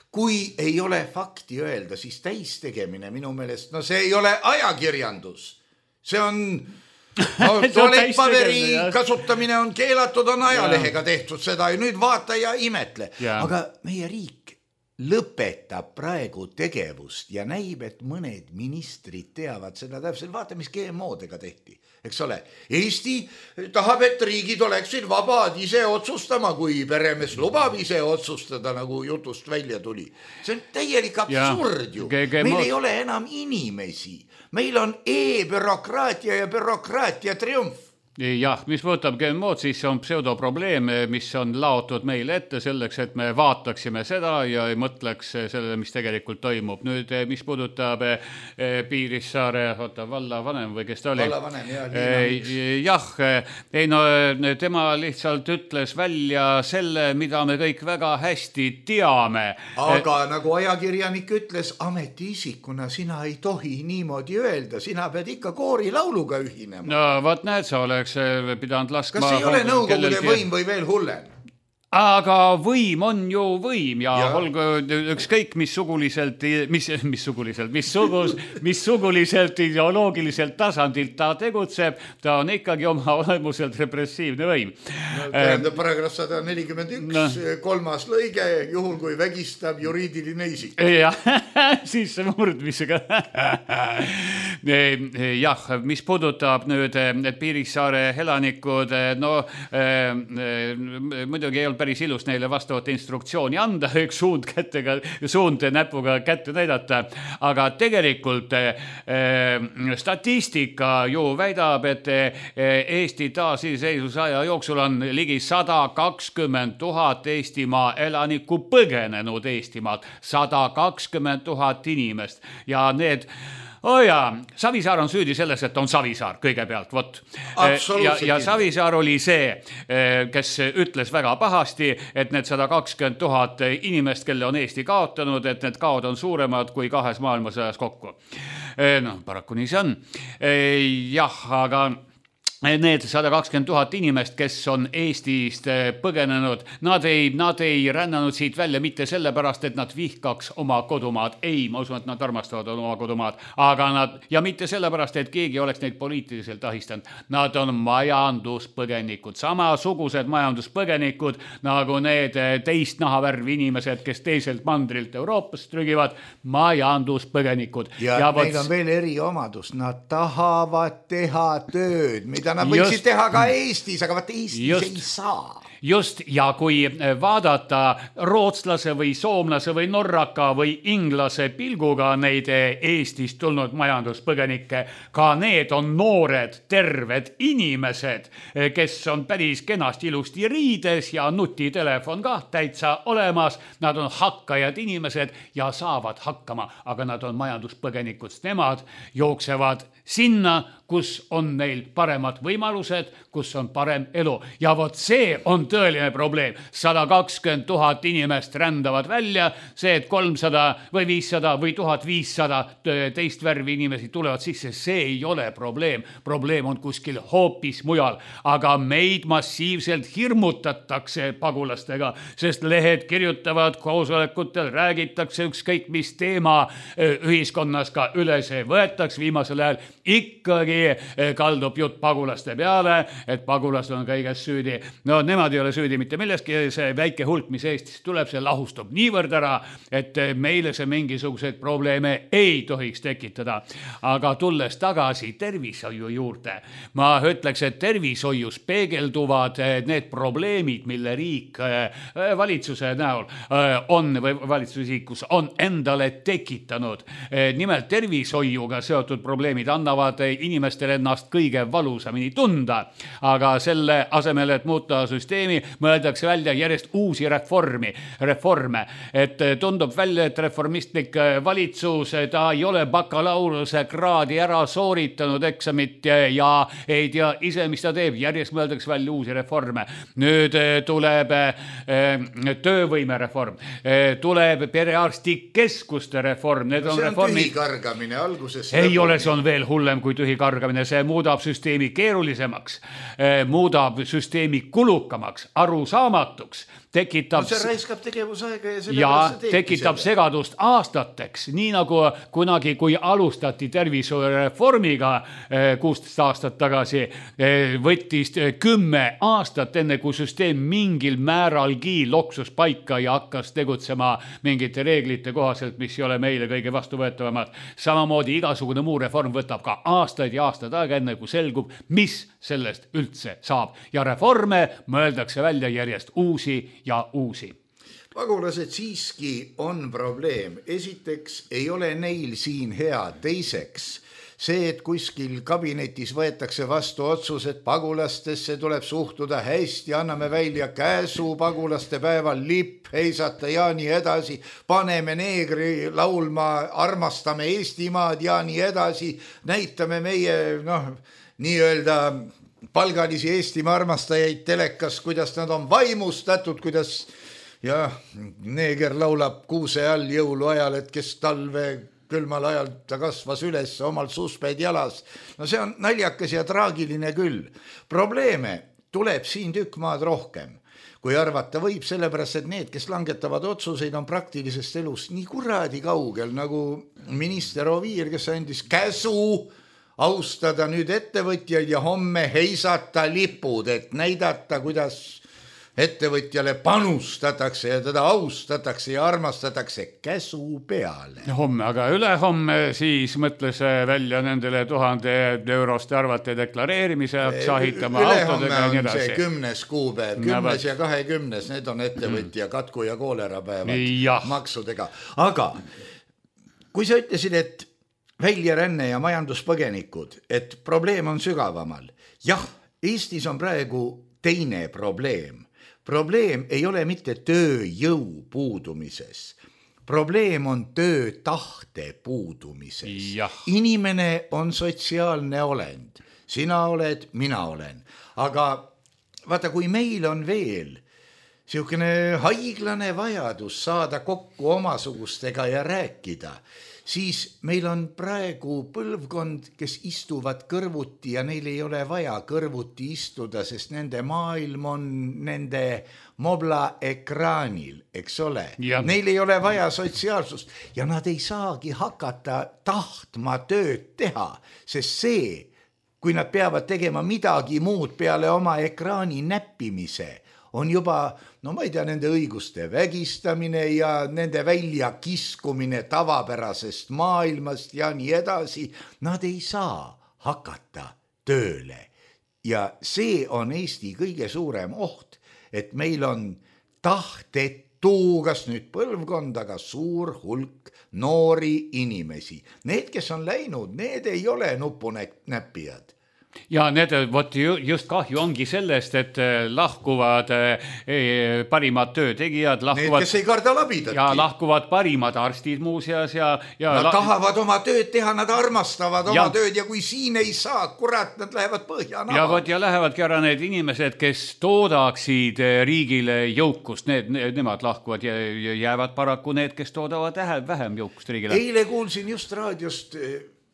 S3: kui ei ole fakti öelda, siis täistegemine minu meelest, no see ei ole ajakirjandus. See on, no, tualettpaberi kasutamine on keelatud, on ajalehega tehtud seda ja nüüd vaata ja imetle. Ja. Aga meie riik lõpetab praegu tegevust ja näib, et mõned ministrid teavad seda täpselt. Vaata, mis G M O-dega tehti, eks ole. Eesti tahab, et riigid oleksid vabad ise otsustama, kui peremees lubab ise otsustada, nagu jutust välja tuli. See on täielik absurd ju. Meil ei ole enam inimesi. Meil on e-bürokraatia ja bürokraatia triumf.
S4: Jah, mis puudutab G M O-d, siis on pseudoprobleem, mis on laotud meile ette selleks, et me vaataksime seda ja ei mõtleks sellele, mis tegelikult toimub. Nüüd, mis puudutab Piirissaare, oota, vallavanem või kes ta oli?
S3: Vallavanem, jah.
S4: Jah, ei no tema lihtsalt ütles välja selle, mida me kõik väga hästi teame.
S3: Aga nagu ajakirjanik ütles, ametiisikuna sina ei tohi niimoodi öelda, sina pead ikka koorilauluga ühinema.
S4: No, vaat näed, sa oleks pidanud laskma...
S3: Kas ei ole nõukogude võim või veel hullem?
S4: Aga võim on ju võim ja, ja. Olgu ükskõik mis suguliselt, mis, mis suguliselt, mis, sugus, mis suguliselt ideoloogiliselt tasandilt ta tegutseb, ta on ikkagi oma olemuselt repressiivne võim.
S3: No, tähendab paragrahv sada nelikümmend üks, no. kolmas lõige, juhul kui vägistab juriidiline isik.
S4: Jah, siis murdmisega. Jah, mis puudutab nüüd Piirissaare elanikud, no muidugi ei olnud päris ilus neile vastavat instruktsiooni anda, üks suund kättega, suund näpuga kätte näidata, aga tegelikult eh, statistika ju väidab, et Eesti taasiseseisvuse aja jooksul on ligi sada kakskümmend tuhat Eestimaa elanikku põgenenud Eestimaalt, sada kakskümmend tuhat inimest ja need Oh jaa, Savisaar on süüdi selles, et on Savisaar kõigepealt, vot. Ja, ja Savisaar oli see, kes ütles väga pahasti, et need sada kakskümmend tuhat inimest, kelle on Eesti kaotanud, et need kaod on suuremad kui kahes maailmasõjas kokku. No, paraku nii see on. Jah, aga... Need sada kakskümmend tuhat inimest, kes on Eestist põgenenud, nad ei, nad ei rännanud siit välja mitte sellepärast, et nad vihkaks oma kodumaad. Ei, ma usun, et nad armastavad oma kodumaad. Aga nad, ja mitte sellepärast, et keegi oleks neid poliitiliselt ahistanud. Nad on majanduspõgenikud, samasugused majanduspõgenikud, nagu need teist nahavärvi inimesed, kes teiselt mandrilt Euroopast trügivad, majanduspõgenikud.
S3: Ja, ja neil võt... on veel eriomadus, nad tahavad teha tööd, mida nad võiksid just, teha ka Eestis, aga vaat Eestis just, ei saa.
S4: Just, ja kui vaadata rootslase või soomlase või norraka või inglase pilguga neid Eestist tulnud majanduspõgenikke, ka need on noored, terved inimesed, kes on päris kenasti ilusti riides ja nutitelefon ka täitsa olemas. Nad on hakkajad inimesed ja saavad hakkama, aga nad on majanduspõgenikud. Nemad jooksevad sinna, kus on neil paremad võimalused, kus on parem elu. Ja vot see on tõeline probleem. sada kakskümmend tuhat inimest rändavad välja, see, et kolmsada või viissada või tuhat viissada teist värvi inimesi tulevad sisse, see ei ole probleem. Probleem on kuskil hoopis mujal, aga meid massiivselt hirmutatakse pagulastega, sest lehed kirjutavad koosolekutel, räägitakse ükskõik mis teema ühiskonnas ka üles võetaks viimasel ajal. Ikkagi kaldub jutt pagulaste peale, et pagulased on kõiges süüdi. No nemad ei ole süüdi mitte milleski, see väike hulk, mis Eestis tuleb, see lahustub niivõrd ära, et meile see mingisuguseid probleeme ei tohiks tekitada. Aga tulles tagasi tervishoiu juurde, ma ütleks, et tervishoius peegelduvad need probleemid, mille riik valitsuse näol on või valitsusisikus on endale tekitanud. Nimelt tervishoiuga seotud probleemid annavad inimestele ennast kõige valusamini tunda, aga selle asemel, et muuta süsteemi, mõeldakse välja järjest uusi reformi, reforme, et tundub välja, et reformistlik valitsus, ta ei ole bakalaureuse kraadi ära sooritanud eksamit ja ei tea ise, mis ta teeb, järjest mõeldakse välja uusi reforme. Nüüd tuleb töövõimereform, tuleb perearstikeskuste reform, need on
S3: see on
S4: reformid...
S3: tühikargamine alguses.
S4: Ei ole, see on veel hullem kui tühikargamine. kargamine, see muudab süsteemi keerulisemaks, muudab süsteemi kulukamaks, arusaamatuks, tekitab...
S3: No see raiskab tegevusaega ja,
S4: ja tekitab selle. Segadust aastateks, nii nagu kunagi, kui alustati tervishoiureformiga kuusteist aastat tagasi, võttis kümme aastat enne, kui süsteem mingil määralgi loksus paika ja hakkas tegutsema mingite reeglite kohaselt, mis ei ole meile kõige vastuvõetavamad. Samamoodi igasugune muu reform võtab ka aastaid ja aastaid aega enne, kui selgub, mis sellest üldse saab. Ja reforme mõeldakse välja järjest uusi ja uusi.
S3: Pagulased siiski on probleem. Esiteks ei ole neil siin hea. Teiseks see, et kuskil kabinetis võetakse vastu otsus, et pagulastesse tuleb suhtuda hästi, anname välja käsu pagulaste päeval, lipp heisata ja nii edasi, paneme neegri laulma, armastame Eestimaad ja nii edasi, näitame meie noh, nii-öelda palgalisi Eestimaa armastajaid telekas, kuidas nad on vaimustatud, kuidas ja neeger laulab kuuse all jõuluajal, et kes talve külmal ajal ta kasvas üles omal susped jalas. No see on naljakas ja traagiline küll. Probleeme tuleb siin tükk maad rohkem, kui arvata võib, sellepärast, et need, kes langetavad otsuseid, on praktilisest elust nii kuradi kaugel, nagu minister Oviir, kes andis käsu austada nüüd ettevõtjaid ja homme heisata lipud, et näidata, kuidas ettevõtjale panustatakse ja teda austatakse ja armastatakse käsu peale.
S4: Homme, aga ülehomme siis mõtles välja nendele tuhande euroste arvate deklareerimise, sahitama autodega ja nii edasi.
S3: Ülehomme on see kümnes kuupäev, kümnes ja kahekümnes, need on ettevõtja katku ja koolera päevad maksudega. Aga kui sa ütlesid, et väljaränne ja majanduspõgenikud, et probleem on sügavamal. Jah, Eestis on praegu teine probleem. Probleem ei ole mitte tööjõu puudumises. Probleem on töötahte puudumises. Ja. Inimene on sotsiaalne olend. Sina oled, mina olen. Aga vaata, kui meil on veel siukene haiglane vajadus saada kokku omasugustega ja rääkida, siis meil on praegu põlvkond, kes istuvad kõrvuti ja neil ei ole vaja kõrvuti istuda, sest nende maailm on nende mobla ekraanil, eks ole. Ja. Neil ei ole vaja sotsiaalsust ja nad ei saagi hakata tahtma tööd teha, sest see, kui nad peavad tegema midagi muud peale oma ekraani näppimise, on juba, no ma ei tea, nende õiguste vägistamine ja nende välja kiskumine tavapärasest maailmast ja nii edasi. Nad ei saa hakata tööle. Ja see on Eesti kõige suurem oht, et meil on tahtetu, kas nüüd põlvkond, aga suur hulk noori inimesi. Need, kes on läinud, need ei ole nupunäppijad.
S4: Ja need, võt, just kahju ongi sellest, et lahkuvad parimad töötegijad, lahkuvad,
S3: need, kes ei karda labidatki.
S4: Ja lahkuvad parimad arstid muuseas. Ja, ja
S3: nad la... tahavad oma tööd teha, nad armastavad oma ja. tööd ja kui siin ei saa, kurat, nad lähevad põhja naha.
S4: Ja, võt, ja lähevadki ära need inimesed, kes toodaksid riigile jõukust, need, nemad lahkuvad ja jäävad paraku need, kes toodavad vähem jõukust riigile.
S3: Eile kuulsin just raadiost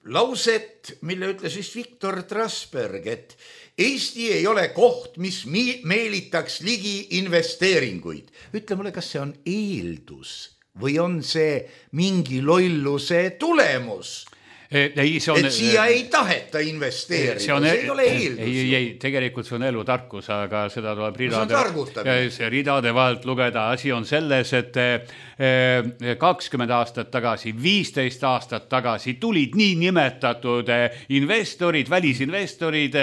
S3: lauset, mille ütles vist Viktor Trasberg, et Eesti ei ole koht, mis meelitaks ligi investeeringuid. Ütle mulle, kas see on eeldus või on see mingi lolluse tulemus?
S4: Ei, see on,
S3: et siia ei taheta investeerida, see, on, see ei ole eeldus.
S4: Ei, ei, ei, tegelikult see on elutarkus, aga seda tuleb ridade, see ridade vahelt lugeda. Asi on selles, et kakskümmend aastat tagasi, viisteist aastat tagasi tulid nii nimetatud investorid, välisinvestorid,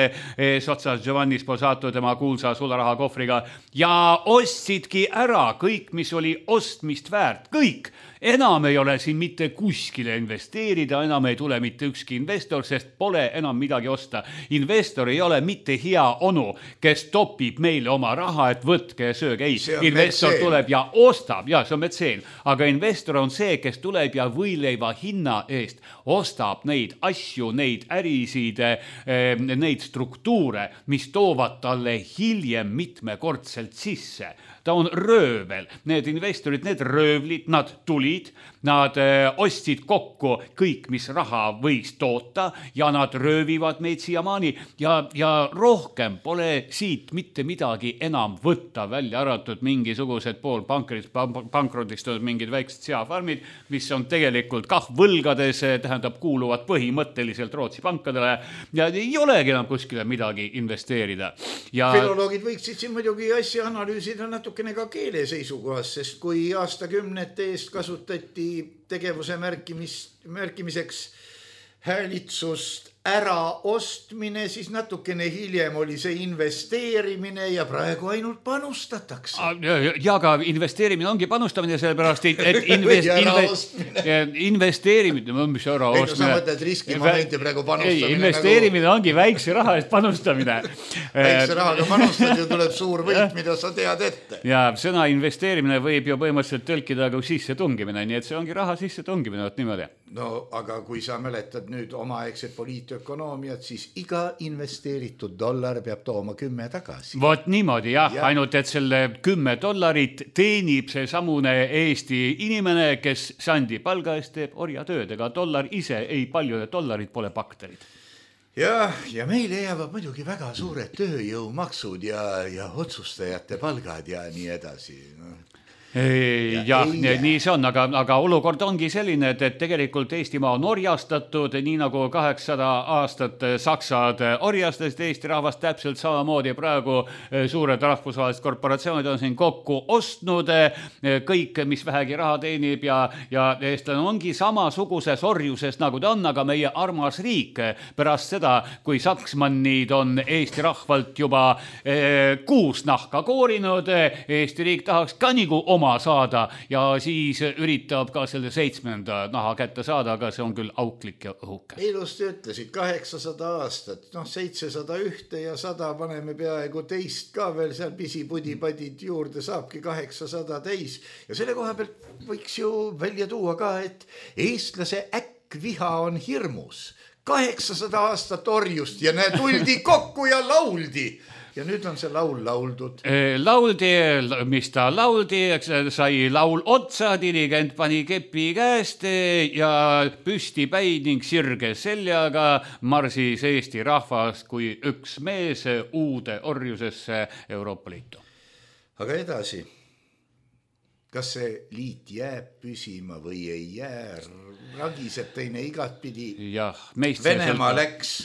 S4: sotsas Giovanni Sposato tema kuulsa sularaha kohvriga ja ostsidki ära kõik, mis oli ostmist väärt, kõik. Enam ei ole siin mitte kuskile investeerida, enam ei tule mitte ükski investor, sest pole enam midagi osta. Investor ei ole mitte hea onu, kes topib meile oma raha, et võtke ja sööge. Ei, investor metseen. Tuleb ja ostab, ja see on metseen. Aga investor on see, kes tuleb ja võileiva hinna eest ostab neid asju, neid ärisid, neid struktuure, mis toovad talle hiljem mitmekordselt sisse. ta on röövel. Need investorid, need röövlid, nad tulid, nad ostsid kokku kõik, mis raha võis toota ja nad röövivad meid siiamaani ja, ja rohkem pole siit mitte midagi enam võtta, välja arvatud mingisugused pool pankrit, pankrotistunud mingid väiksed seafarmid, mis on tegelikult kah võlgades, tähendab kuuluvad põhimõtteliselt Rootsi pankadele ja ei olegi enam kuskile midagi investeerida. Ja...
S3: Filoloogid võiksid siin muidugi asja analüüsida natukene ka keele seisukohas, sest kui aastakümnete eest kasutati tegevuse märkimis, märkimiseks häälitsust ära ostmine, siis natukene hiljem oli see investeerimine ja praegu ainult panustatakse.
S4: Ja aga investeerimine ongi panustamine sellepärast, et invest, invest, investeerimine, mis ära ostmine.
S3: Ei, no sa mõtled riskimomenti praegu panustamine.
S4: Ei, investeerimine nagu... ongi väikse raha eest panustamine.
S3: Väikse rahaga panustad ja tuleb suur võit, mida sa tead ette.
S4: Ja sõna investeerimine võib ju põhimõtteliselt tõlkida kui sisse tungimine, nii et see ongi raha sisse tungimine, võt niimoodi.
S3: No, aga kui sa mäletad nüüd omaaegset poliitökonoomiat, siis iga investeeritud dollar peab tooma kümme tagasi.
S4: Vot niimoodi, jah, ja. Ainult et selle kümme dollarit teenib see samune Eesti inimene, kes sandi palga eest teeb orjatööd, ega dollar ise ei palju, et dollarid pole bakterid.
S3: Ja, ja meile jäävad muidugi väga suured tööjõumaksud ja, ja otsustajate palgad ja nii edasi, no.
S4: Ei, ja, ja nii see on, aga, aga olukord ongi selline, et, et tegelikult Eestimaa on orjastatud, nii nagu kaheksasada aastat Saksad orjastasid Eesti rahvast täpselt samamoodi. Praegu suured rahvusvahelised korporatsioonid on siin kokku ostnud kõik, mis vähegi raha teenib ja, ja eestlane ongi samasuguses orjuses nagu ta on, aga meie armas riik pärast seda, kui Saksmannid on Eesti rahvalt juba eh, kuus nahka koorinud, Eesti riik tahaks ka nagu oma saada ja siis üritab ka selle seitsmenda naha kätte saada, aga see on küll auklik ja õhuke.
S3: Ilusti ütlesid kaheksasada aastat, noh seitsesada ühte ja sada paneme peaaegu teist ka veel seal pisipudi-padid juurde, saabki kaheksasada täis ja selle koha pealt võiks ju välja tuua ka, et eestlase äkkviha on hirmus. kaheksasada aastat orjust ja näe tuldi kokku ja lauldi. Ja nüüd on see laul lauldud.
S4: Lauldi, mis ta lauldi, sai laul otsa, dirigent pani kepi käest ja püsti päid ning sirge seljaga marsis Eesti rahvas kui üks mees uude orjusesse Euroopa Liitu.
S3: Aga edasi, kas see liit jääb püsima või ei jää? Ragiseb teine igatpidi.
S4: Jah, meist
S3: Venemaa läks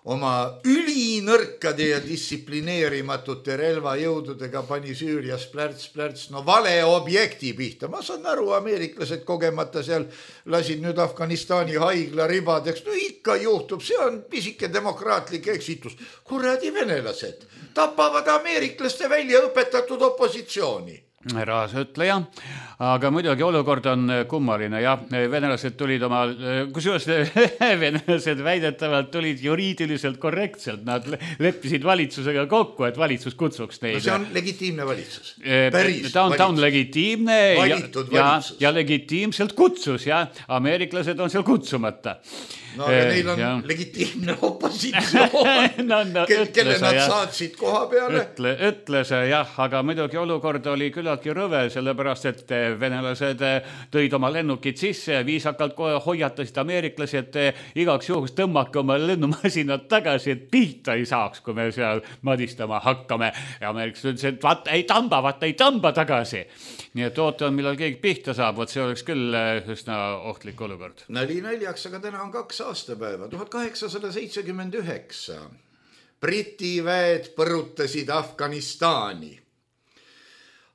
S3: oma ülinõrkade ja distsiplineerimatute relvajõududega pani Süürias plärts, plärts, no vale objekti pihta. Ma saan aru, ameeriklased kogemata seal lasid nüüd Afganistani haigla ribadeks. No ikka juhtub, see on pisike demokraatlik eksitus. Kuradi venelased tapavad ameeriklaste välja õpetatud opositsiooni.
S4: Raasütleja, aga muidugi olukord on kummaline ja venelased tulid oma, kusjuures venelased väidetavalt tulid juriidiliselt korrektselt, nad leppisid valitsusega kokku, et valitsus kutsuks neid.
S3: No see on legitiimne valitsus. Päris
S4: ta on, ta on legitiimne ja,
S3: ja,
S4: ja legitiimselt kutsus ja ameeriklased on seal kutsumata.
S3: No aga neil on ja. legitiimne opositsioon, no, no, kelle ütles, nad jah. saatsid koha peale.
S4: Ütle, ütles jah, aga muidugi olukord oli küllaltki rõve, sellepärast et venelased tõid oma lennukid sisse ja viisakalt kohe hoiatasid ameeriklasi, et igaks juhuks tõmmake oma lennumasinad tagasi, et pihta ei saaks, kui me seal madistama hakkame. Ja ameeriklased ütles, et vaata ei tamba, vaata ei tamba tagasi. Nii et ootan, millal keegi pihta saab, võt see oleks küll üsna ohtlik olukord.
S3: Nali naljaks, aga täna on kaks aastapäeva, tuhat kaheksasada seitsekümmend üheksa. Briti väed põrutasid Afganistani.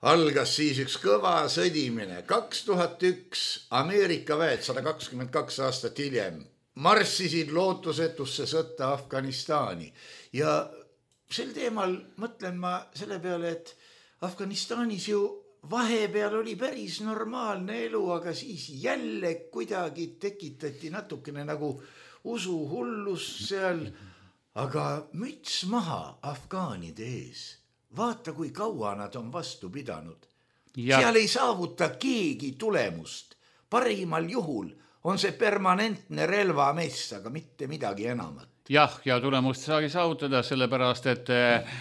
S3: Algas siis üks kõva sõdimine. kaks tuhat üks Ameerika väed, sada kakskümmend kaks aastat hiljem, marssisid lootusetusse sõtta Afganistani. Ja sel teemal mõtlen ma selle peale, et Afganistanis ju vahepeal oli päris normaalne elu, aga siis jälle kuidagi tekitati natukene nagu usuhullus seal. Aga müts maha afgaanide ees. Vaata, kui kaua nad on vastu pidanud. Ja. Seal ei saavuta keegi tulemust. Parimal juhul on see permanentne relvamess, aga mitte midagi enamat.
S4: jah, ja tulemust saagi saavutada, sellepärast, et äh,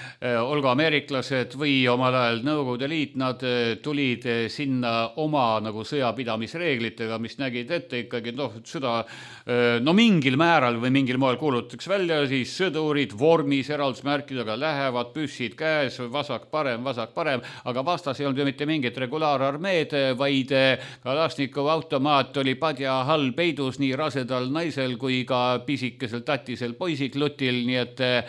S4: olgu ameeriklased või omal ajal Nõukogude Liit, nad äh, tulid äh, sinna oma nagu sõjapidamisreeglitega, mis nägid ette ikkagi, noh, sõda äh, no mingil määral või mingil moel kuulutaks välja, siis sõdurid vormis eraldusmärkidega lähevad, püssid käes, vasak parem, vasak parem, aga vastas ei olnud ju mitte mingit regulaararmeed, vaid Kalašnikov automaat oli padja all peidus nii rasedal naisel kui ka pisikesel tatisel poisiklutil, nii et äh,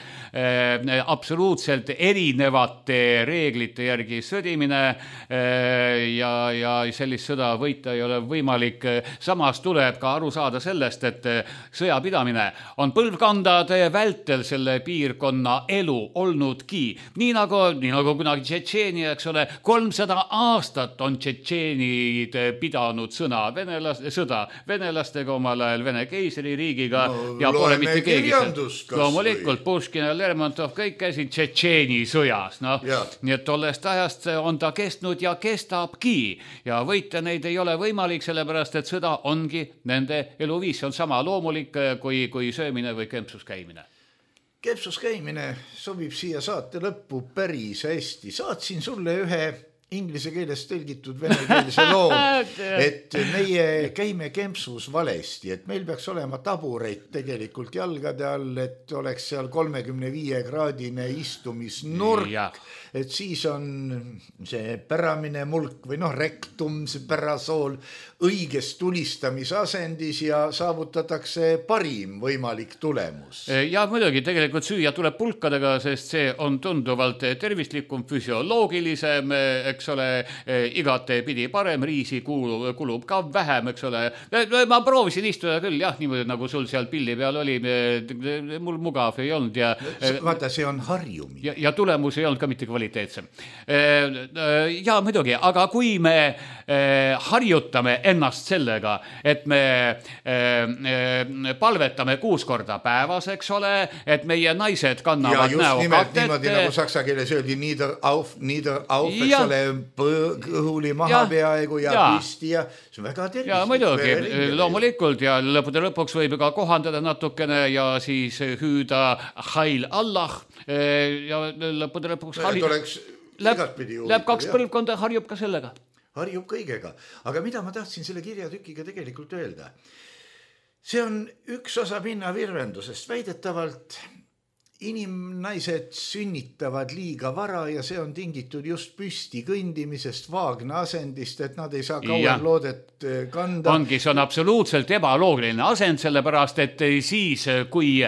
S4: absoluutselt erinevate reeglite järgi sõdimine äh, ja, ja sellist sõda võita ei ole võimalik. Samas tuleb ka aru saada sellest, et sõjapidamine on põlvkondade vältel selle piirkonna elu olnudki. Nii nagu, nii nagu kunagi Tšetšeenia, eks ole, kolmsada aastat on tšetšeenid pidanud sõna venelaste, sõda venelastega omal ajal Vene keisririigiga no, ja pole mitte keegi. Loomulikult Puškin ja Lermontov kõik käisid Tšetšeeni sõjas, noh, nii et tollest ajast on ta kestnud ja kestabki ja võita neid ei ole võimalik, sellepärast et sõda ongi nende eluviis, see on sama loomulik kui, kui söömine või kempsus käimine.
S3: Kempsus käimine sobib siia saate lõppu päris hästi. Saatsin sulle ühe inglise keeles tõlgitud venekeelse loo, et meie käime kempsus valesti, et meil peaks olema tabureid tegelikult jalgade all, et oleks seal kolmekümne viie kraadine istumisnurk, ja. Et siis on see päramine mulk või noh, rektum, see pärasool õiges tulistamisasendis ja saavutatakse parim võimalik tulemus.
S4: Ja muidugi tegelikult süüa tuleb pulkadega, sest see on tunduvalt tervislikum, füsioloogilisem, eks ole, igate pidi parem, riisi kulub, kulub ka vähem, eks ole. Ma proovisin istuda küll, jah, niimoodi nagu sul seal pilli peal oli, mul mugav ei olnud. Ja,
S3: vaata, see on harjumine.
S4: Ja, ja tulemus ei olnud ka mitte kvaliteetsem. Ja muidugi, aga kui me harjutame ennast sellega, et me palvetame kuus korda päevas, eks ole, et meie naised kannavad näo katet. Ja just nimelt niimoodi, nagu saksa keeles öeldi, nieder auf, nieder auf, eks ja. Ole, kõhuli maha ja. Peaaegu ja, ja püsti ja see on väga tervislik. Ja muidugi, loomulikult ja lõpude lõpuks võib ka kohandada natukene ja siis hüüda Heil Allah ja lõpude lõpuks
S3: harjub, läheb,
S4: läheb kaks põlvkonda, harjub ka sellega.
S3: Harjub kõigega. Aga mida ma tahtsin selle kirjatükiga tegelikult öelda? See on üks osa pinnavirvendusest. Väidetavalt inimnaised sünnitavad liiga vara ja see on tingitud just püsti kõndimisest, vaagna asendist, et nad ei saa kauem loodet kanda.
S4: Ongi, see on absoluutselt ebaloogiline asend, sellepärast, et siis, kui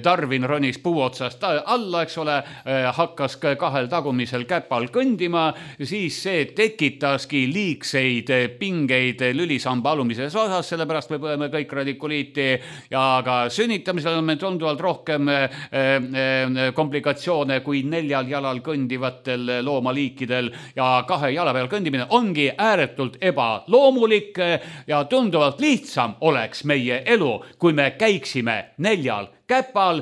S4: Darwin ronis puuotsast alla, eks ole, hakkas kahel tagumisel käpal kõndima, siis see tekitaski liigseid pingeid lülisamba alumises osas, sellepärast me põeme kõik radikuliiti ja ka sünnitamisel on meil tunduvalt rohkem komplikatsioone kui neljal jalal kõndivatel loomaliikidel ja kahe jala peal kõndimine ongi ääretult ebaloomulik ja tunduvalt lihtsam oleks meie elu, kui me käiksime neljal käpal,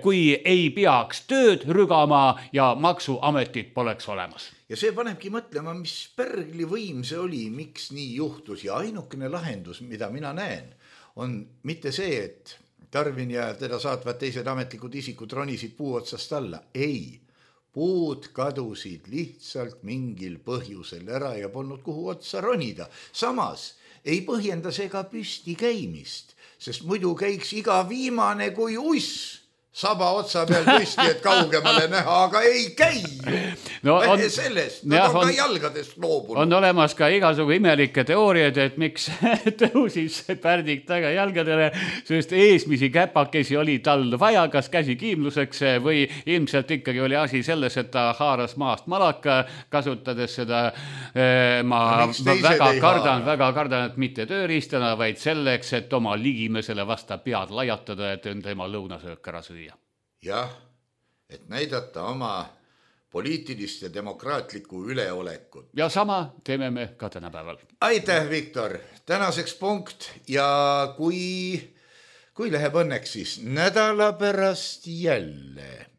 S4: kui ei peaks tööd rügama ja maksuametit poleks olemas.
S3: Ja see panebki mõtlema, mis pärgli võim see oli, miks nii juhtus ja ainukene lahendus, mida mina näen, on mitte see, et Darwin ja teda saatvad teised ametlikud isikud ronisid puu otsast alla. Ei, puud kadusid lihtsalt mingil põhjusel ära ja polnud kuhu otsa ronida. Samas ei põhjenda see ka püsti käimist, sest muidu käiks iga viimane kui uss saba otsa peal püsti, et kaugemale näha, aga ei käi. No on, sellest, nad on, on ka jalgadest loobunud.
S4: On olemas ka igasugu imelikke teooriad, et miks tõusis pärdik taga jalgadele, sest eesmisi käpakesi oli tal vaja, kas käsi kiimluseks või ilmselt ikkagi oli asi selles, et ta haaras maast malaka, kasutades seda ma, ma väga kardan, väga kardan, et mitte tööriistana, vaid selleks, et oma ligimesele vasta pead lajatada, et tema lõunasöök ära süüa.
S3: Jah, et näidata oma poliitilist ja demokraatlikku üleolekut.
S4: Ja sama teeme me ka tänapäeval.
S3: Aitäh, Viktor! Tänaseks punkt ja kui, kui läheb õnneks siis nädala pärast jälle.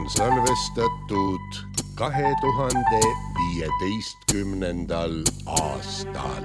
S5: salvestatud kahe tuhande viieteistkümnendal aastal.